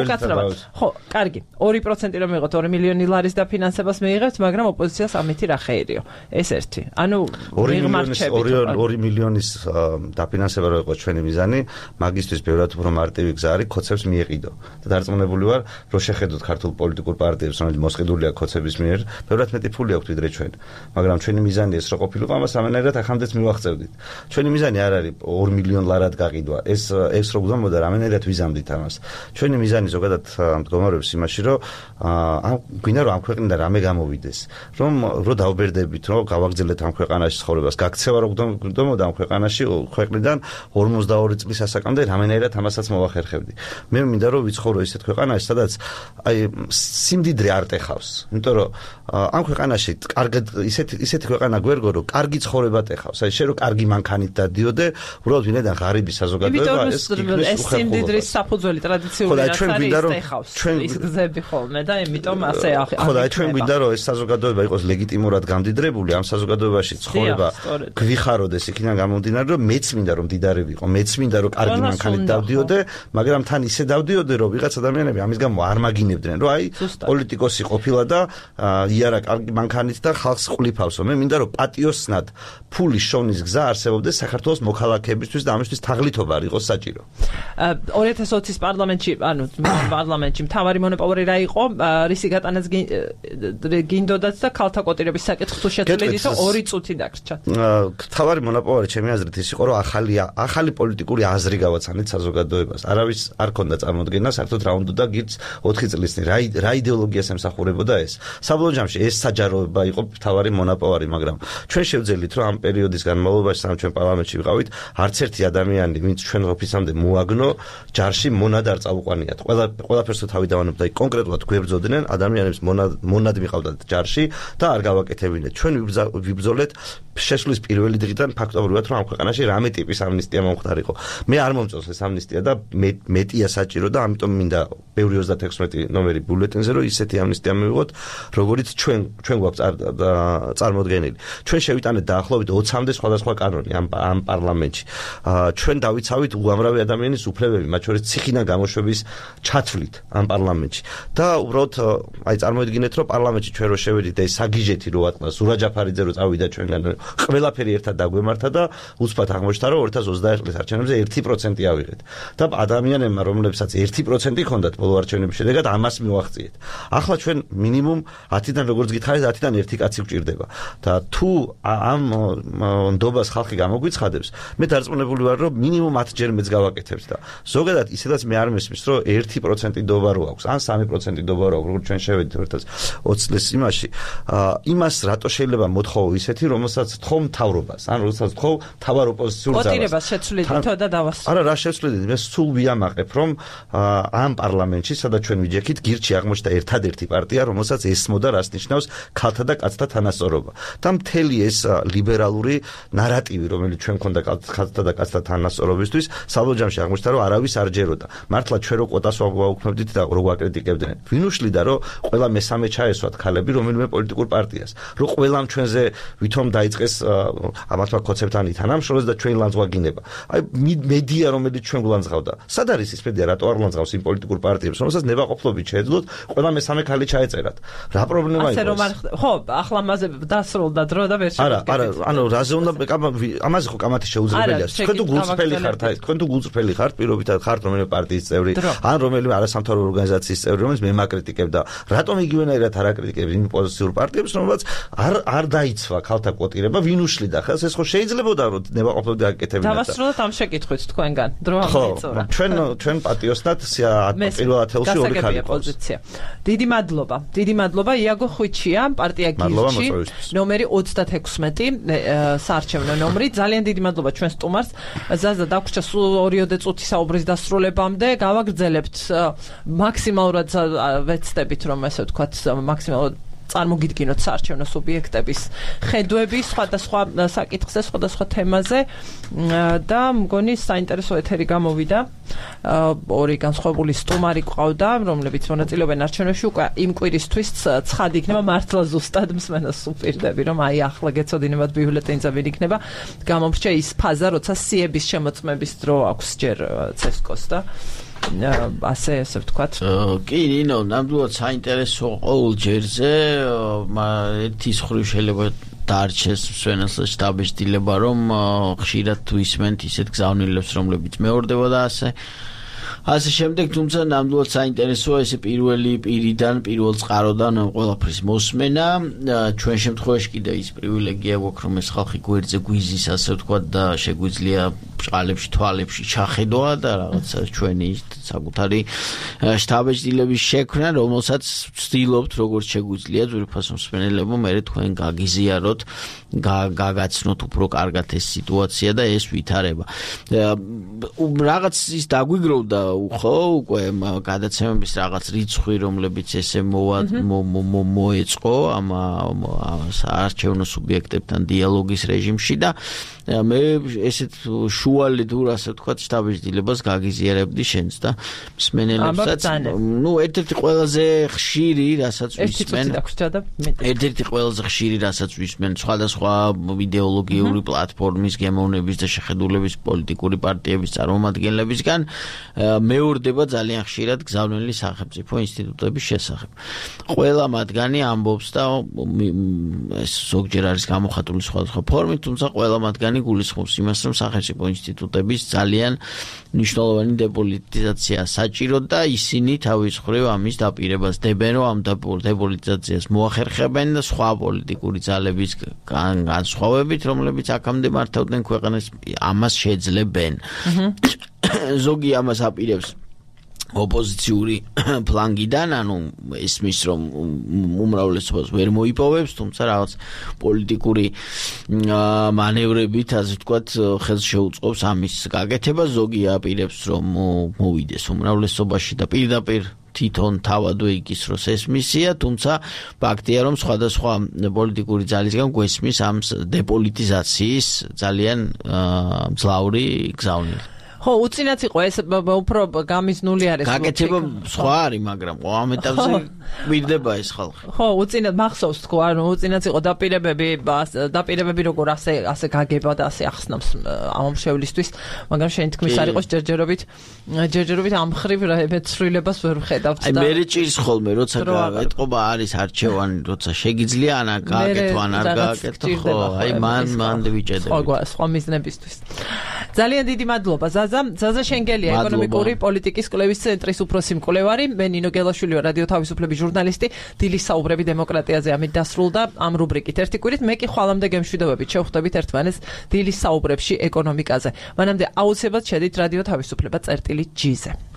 უკაცრავად ხო კარგი 2% რომ მიიღოთ 2 მილიონი ლარის დაფინანსებას მიიღებთ მაგრამ ოპოზიციას ამითი რა ხეირიო ეს ერთი ანუ 2 მილიონის დაფინანსება რო იყო ჩვენი მიზანი მაგისტრის ბევრად უფრო მარტივი გზა არის კოცებს მიეყიდო და დარწმუნებული ვარ რომ შეხედოთ ქართულ პოლიტიკურ პარტიებს რომელიც მოსყიდულია კოცების მიერ ბევრად მეტი ფული აქვთ ვიდრე ჩვენ მაგრამ ჩვენი მიზანი ეს რო ყოფილიყო ამას ამენერად ახამდეც მივახცევდით ჩვენი მიზანი არ არის 2 მილიონი ლარად გაყიდვა ეს რო გვგზავნოდა რამენერად ვიზამდით ამას ჩვენი მიზანი ზოგადად მდგომარეობს იმაში რომ გვინდა რომ ამ ქვეყნიდან რამე გამოვიდეს რომ დავბერდებით რომ გავაგრძელეთ ამ ქვეყანაში ცხოვრებას გაქცევა რომ გვგდომოდა ამ ქვეყანაში ქვეყნიდან 42 წლის ასაკამდე რამენერად ამასაც მოვახერხებდი მე მინდა რომ ვიცხოვრო ისეთ ქვეყანაში სადაც აი სიმდიდრე არ ტეხავს იმიტომ რომ ამ ქვეყანაში კარგად ისეთი ქვეყანა გვერგო რომ კარგი ცხოვრება ეხავს. აი შენ რომ კარგი მანქანით დადიოდე, უბრალოდ ვინედან ღარიბი საზოგადოება ეს სიმდიდრის საფუძველი ტრადიციული რაც არის ეხავს. ის გზები ხოლმე და იმიტომ ასე ხო და ჩვენ გვინდა რომ ეს საზოგადოება იყოს ლეგიტიმურად გამდიდრებული, ამ საზოგადოებაში ცხოვრება გვიხაროდეს იქიდან გამომდინარე რომ მეც მინდა რომ მდიდარი ვიყო, მეც მინდა რომ კარგი მანქანით დავდიოდე, მაგრამ თან ისე დავდიოდე რომ ვიღაც ადამიანები ამის გამო არ მაგინებდნენ, რომ აი პოლიტიკოსი ყოფილა და იარა კარგი მანქანით და ხალხს ყლიფავსო. მე მინდა რომ პატიოსნად ფულის შოვნის გზა არსებობდეს საქართველოს მოქალაქეებისთვის და ამისთვის თაღლითობა არ იყოს საჭირო. 2020-ის პარლამენტში, პარლამენტში მთავარი მონოპოლი რა იყო? რისი გატანაც გინდოდათ და ქალთა კვოტირების საკითხი თუ შეცვლიდით, 2 წუთი დაგრჩათ. მთავარი მონოპოლი ჩემი აზრით ის იყო, რომ ახალი პოლიტიკური აზრი გავაცანეთ საზოგადოებას. არავის არ ქონდა წარმოდგენა საერთოდ რა უნდა და გიც 4 წლის წინ რა იდეოლოგიას ემსახურებოდა ეს. საბოლოო ჯამში ეს საჯაროება იყო მთავარი მონოპოლი, მაგრამ ჩვენ შევძელით, რომ ამ პერიოდის განმავლობაში სამ ჩვენ პარლამენტში ვიყავით, არც ერთი ადამიანი, ვინც ჩვენ ოფისამდე მოაგნო, ჯარში მონად არ წაუყვანიათ. ყველაფერს თავი დავანებდა, კონკრეტულად გვებრძოდნენ, ადამიანებს მონად მიყავდათ ჯარში და არ გავაკეთებინეთ. ჩვენ ვიბრძოლეთ შესვლის პირველი დღიდან ფაქტობრივად, რომ ამ ქვეყანაში რამე ტიპის ამნისტია მომხდარიყო. მე არ მომწონს ეს ამნისტია და მეტია საჭირო და ამიტომ მინდა ბევრი 36 ნომერი ბიულეტენზე, რომ ისეთი ამნისტია მივიღოთ, როგორიც ჩვენ გვაქვს წარმოდგენილი. ჩვენ შევიტანეთ დაახლოებით 20-მდე სხვადასხვა კანონი ამ პარლამენტში. ჩვენ დავიცავით უამრავი ადამიანის უფლებები, მათ შორის ციხიდან გამოშვების ჩათვლით ამ პარლამენტში. და უბრალოდ აი წარმოიდგინეთ, რომ პარლამენტში ჩვენ რო შევედით და ეს საგიჟეთი რო ატყდა, სურა ჯაფარიძე რო წავიდა ჩვენგან, ყველაფერი ერთად დაგვემართა და უცბად აღმოჩნდა, რომ 2021 წლის არჩევნებზე 1% ავიღეთ. და ადამიანებმა, რომლებსაც 1% ჰქონდათ ბოლო არჩევნების შედეგად, ამას მივახციეთ. ახლა ჩვენ მინიმუმ 10-დან როგორც გითხარით, 10-დან 1 კაცი გვჭირდება. და თუ ამ ნდობას ხალხი გამოგვიცხადებს, მე დარწმუნებული ვარ, რომ მინიმუმ 10 ჯერ მეც გავაკეთებთ და ზოგადად ისედაც მე არ მესმის, რომ 1% ნდობა რო აქვს, ან 3% ნდობა რო აქვს, როგორც ჩვენ შევედით 2020 წლის იმაში, იმას რატო შეიძლება მოთხოვო ისეთი, რომელსაც თხოვ მთავრობას, ან რომელსაც თხოვ თავარ ოპოზიციურ ძალას. კვოტირებას შეცვლიდითო და დავასრულოთ. არა, რა შეცვლიდით, მე სულ ვიამაყებ, რომ ამ პარლამენტში, სადაც ჩვენ ვიჯექით, გირჩი აღმოჩნდა ერთადერთი პარტია, რომელსაც ესმოდა რას ნიშნავს ქალთა და კაცთა თანასწორობა. და მთელი ეს ლიბერალური ნარატივი, რომელიც ჩვენ ქონდა ქალთა და კაცთა თანასწორობისთვის, საბოლოო ჯამში აღმოჩნდა, რომ არავის არ ჯეროდა. მართლა ჩვენ რო კვოტას ვაუქმებდით და რო გვაკრიტიკებდნენ. ვინ უშლიდა, რომ ყველა მესამე ჩაესვათ ქალები რომელიმე პოლიტიკურ პარტიას, რომ ყველამ ჩვენზე ვითომ დაიწყეს ამათმა ქოცებთან ითანამშრომლოს და ჩვენ ლანძღვაგინება. აი მედია, რომელიც ჩვენ გულანძღავდა. სად არის ის მედია, რატო არ ლანძღავს იმ პოლიტიკურ პარტიებს, რომელსაც ნებაყოფლობით შეეძლოთ ყველა მესამე ქალი ჩაეწერათ. რა პრობლემა იყო? ხო, ახლა მასე დასრულდა დრო და ვერ შევედგეთ. არა, ანუ რაზე უნდა ამაზე ხო კამათი შეუძლებელია. თქვენ თუ გულწრფელი ხართ, თქვენ თუ გულწრფელი ხართ, პირობითად ხართ რომელიმე პარტიის წევრი, ან რომელიმე არასამთავრობო ორგანიზაციის წევრი, რომელიც მე მაკრიტიკებდა. რატომ იგივენაირად არ აკრიტიკებს იმ პოზიციურ პარტიებს, რომელსაც არ დაიცვა ქალთა კვოტირება, ვინ უშლიდა ხელს? ეს ხო შეიძლებოდა რომ ნებაყოფლობდი აკეთებინათ. დავასრულოთ ამ შეკითხვით თქვენგან. დრო ამოიწურა. ჩვენ პატიოსნად პირველ ათეულში 2 ქალი პოზიცია. დიდი მადლობა იაგო ხვიჩია, პარტია გირჩი, ნომერი 36, საარჩევნო ნომრი. ძალიან დიდი მადლობა ჩვენ სტუმარს. ზაზა დაგვრჩა სულ 2 წუთი საუბრის დასრულებამდე. გავაგრძელებთ მაქსიმალურად ვეცდებით, რომ ესე ვთქვათ, მაქსიმალურად წარმოგიდგინოთ საარჩევნო სუბიექტების ხედვები სხვადასხვა საკითხზე, სხვადასხვა თემაზე და მგონი საინტერესო ეთერი გამოვიდა. 2 განსხვავებული სტუმარი ყავდა, რომლებიც მონაწილეობენ არჩევნებში. უკვე იმ კვირისთვის ცხადი იქნება, მართლა ზუსტად მსმენელს უპირდები, რომ აი ახლა გეცოდინებათ ბიულეტენზე ვინ იქნება. გამომრჩა ის ფაზა, როცა სიების შემოწმების დრო აქვს ჯერ ცესკოს და ასე ვთქვათ. კი, ნინო, ნამდვილად საინტერესო ყოველ ჯერზე, ერთი მხრივ შეიძლება დარჩეს მსვენელს შტაბეშტილება, რომ ხშირად თუ ისმენთ ისეთ გზავნილებს, რომლებიც მეორდება და ასე შემდეგ, თუმცა ნამდვილად საინტერესოა ესე პირველი პირიდან, პირველ წყაროდან ყველაფრის მოსმენა. ჩვენ შემთხვევაში კიდე ის პრივილეგია გვაქვს, რომ ეს ხალხი გვერდზე გვიზის, ასე ვთქვათ და შეგვიძლია ბჭყალებში, თვალებში ჩახედვა და რაღაცა ჩვენი საკუთარი შტაბეშტილების შექმნა, რომელსაც ვცდილობთ, როგორც შეგვიძლია ძვირფასო მსმენელებო, მე თქვენ გაგიზიაროთ, გაგაცნოთ უფრო კარგად ეს სიტუაცია და ეს ვითარება. რაღაც ის დაგვიგროვდა ხო უკვე გადაცემების რაღაც რიცხვი რომლებიც ესე მოეწყო ამ საარჩევნო სუბიექტებთან დიალოგის რეჟიმში და მე ესეთ შუალედ ასე ვთქვათ შტაბის-დილებას გაგიზიარებდი შენს და მსმენელებსაც ერთ-ერთი ყველაზე ხშირი რასაც ვისმენ ერთ-ერთი ყველაზე ხშირი რასაც ვისმენ სხვადასხვა იდეოლოგიური პლატფორმის გემოვნების და შეხედულების პოლიტიკური პარტიების წარმომადგენლებისგან მეორდება ძალიან ხშირად გზავნილი სახელმწიფო ინსტიტუტების შესახებ. ყველა მათგანი ამბობს და ზოგჯერ არის გამოხატული სხვადასხვა ფორმით, თუმცა ყველა მათგანი გულისხმობს იმას, რომ სახელმწიფო ინსტიტუტების ძალიან მნიშვნელოვანი დეპოლიტიზაცია საჭირო და ისინი თავის მხრივ ამის დაპირებას დებენ, რომ ამ დეპოლიტიზაციას მოახერხებენ და სხვა პოლიტიკური ძალების განსხვავებით, რომლებიც აქამდე მართავდნენ ქვეყანას, ამას შეძლებენ. ზოგი ამას აპირებს ოპოზიციური ფლანგიდან, ანუ ისმის რომ უმრავლესობას ვერ მოიპოვებს, თუმცა რაღაც პოლიტიკური მანევრებით, ასე ვთქვათ, ხელს შეუწყობს ამის გაკეთებას, ზოგი აპირებს რომ მოვიდეს უმრავლესობაში და პირდაპირ თვითონ თავადვე იგისროს ეს მისია, თუმცა ფაქტია რომ სხვადასხვა პოლიტიკური ძალისგან გვესმის ამ დეპოლიტიზაციის ძალიან მძლავრი გზავნილი. ხო, უწინაც იყო ეს უფრო გამიზნული არის. გაკეთება სხვა არის, მაგრამ ამ ეტაპზე გვირდება ეს ხალხი. ხო, უწინაც მახსოვს თქო, ანუ უწინაც იყო დაპირებები როგორ ასე გაგება და ასე ახსნავს ამომრჩევლისთვის, მაგრამ შენი თქმის არ იყოს ჯერჯერობით ამ ხრივ მეცვლილებას ვერ ვხედავთ და მე ჭირს ხოლმე როცა ეთყობა არის არჩევანი, როცა შეგიძლია ანა გააკეთო ან არ გააკეთო, ხო, აი მან ვიჭედები. სხვა მიზნებისთვის. ძალიან დიდი მადლობა ზაზა შენგელია ეკონომიკური პოლიტიკის კვლევის ცენტრის უფროსი მკვლევარი, მე ნინო გელაშვილი ვარ, რადიო თავისუფლების ჟურნალისტი. დილის საუბრები დემოკრატიაზე ამით დასრულდა ამ რუბრიკით. ერთი კვირით მე კი ხვალამდე გემშვიდობებით შევხვდებით ერთმანეთს დილის საუბრებში ეკონომიკაზე. მანამდე აუცილებლად შედით რადიო თავისუფლება წერტილი G-ზე.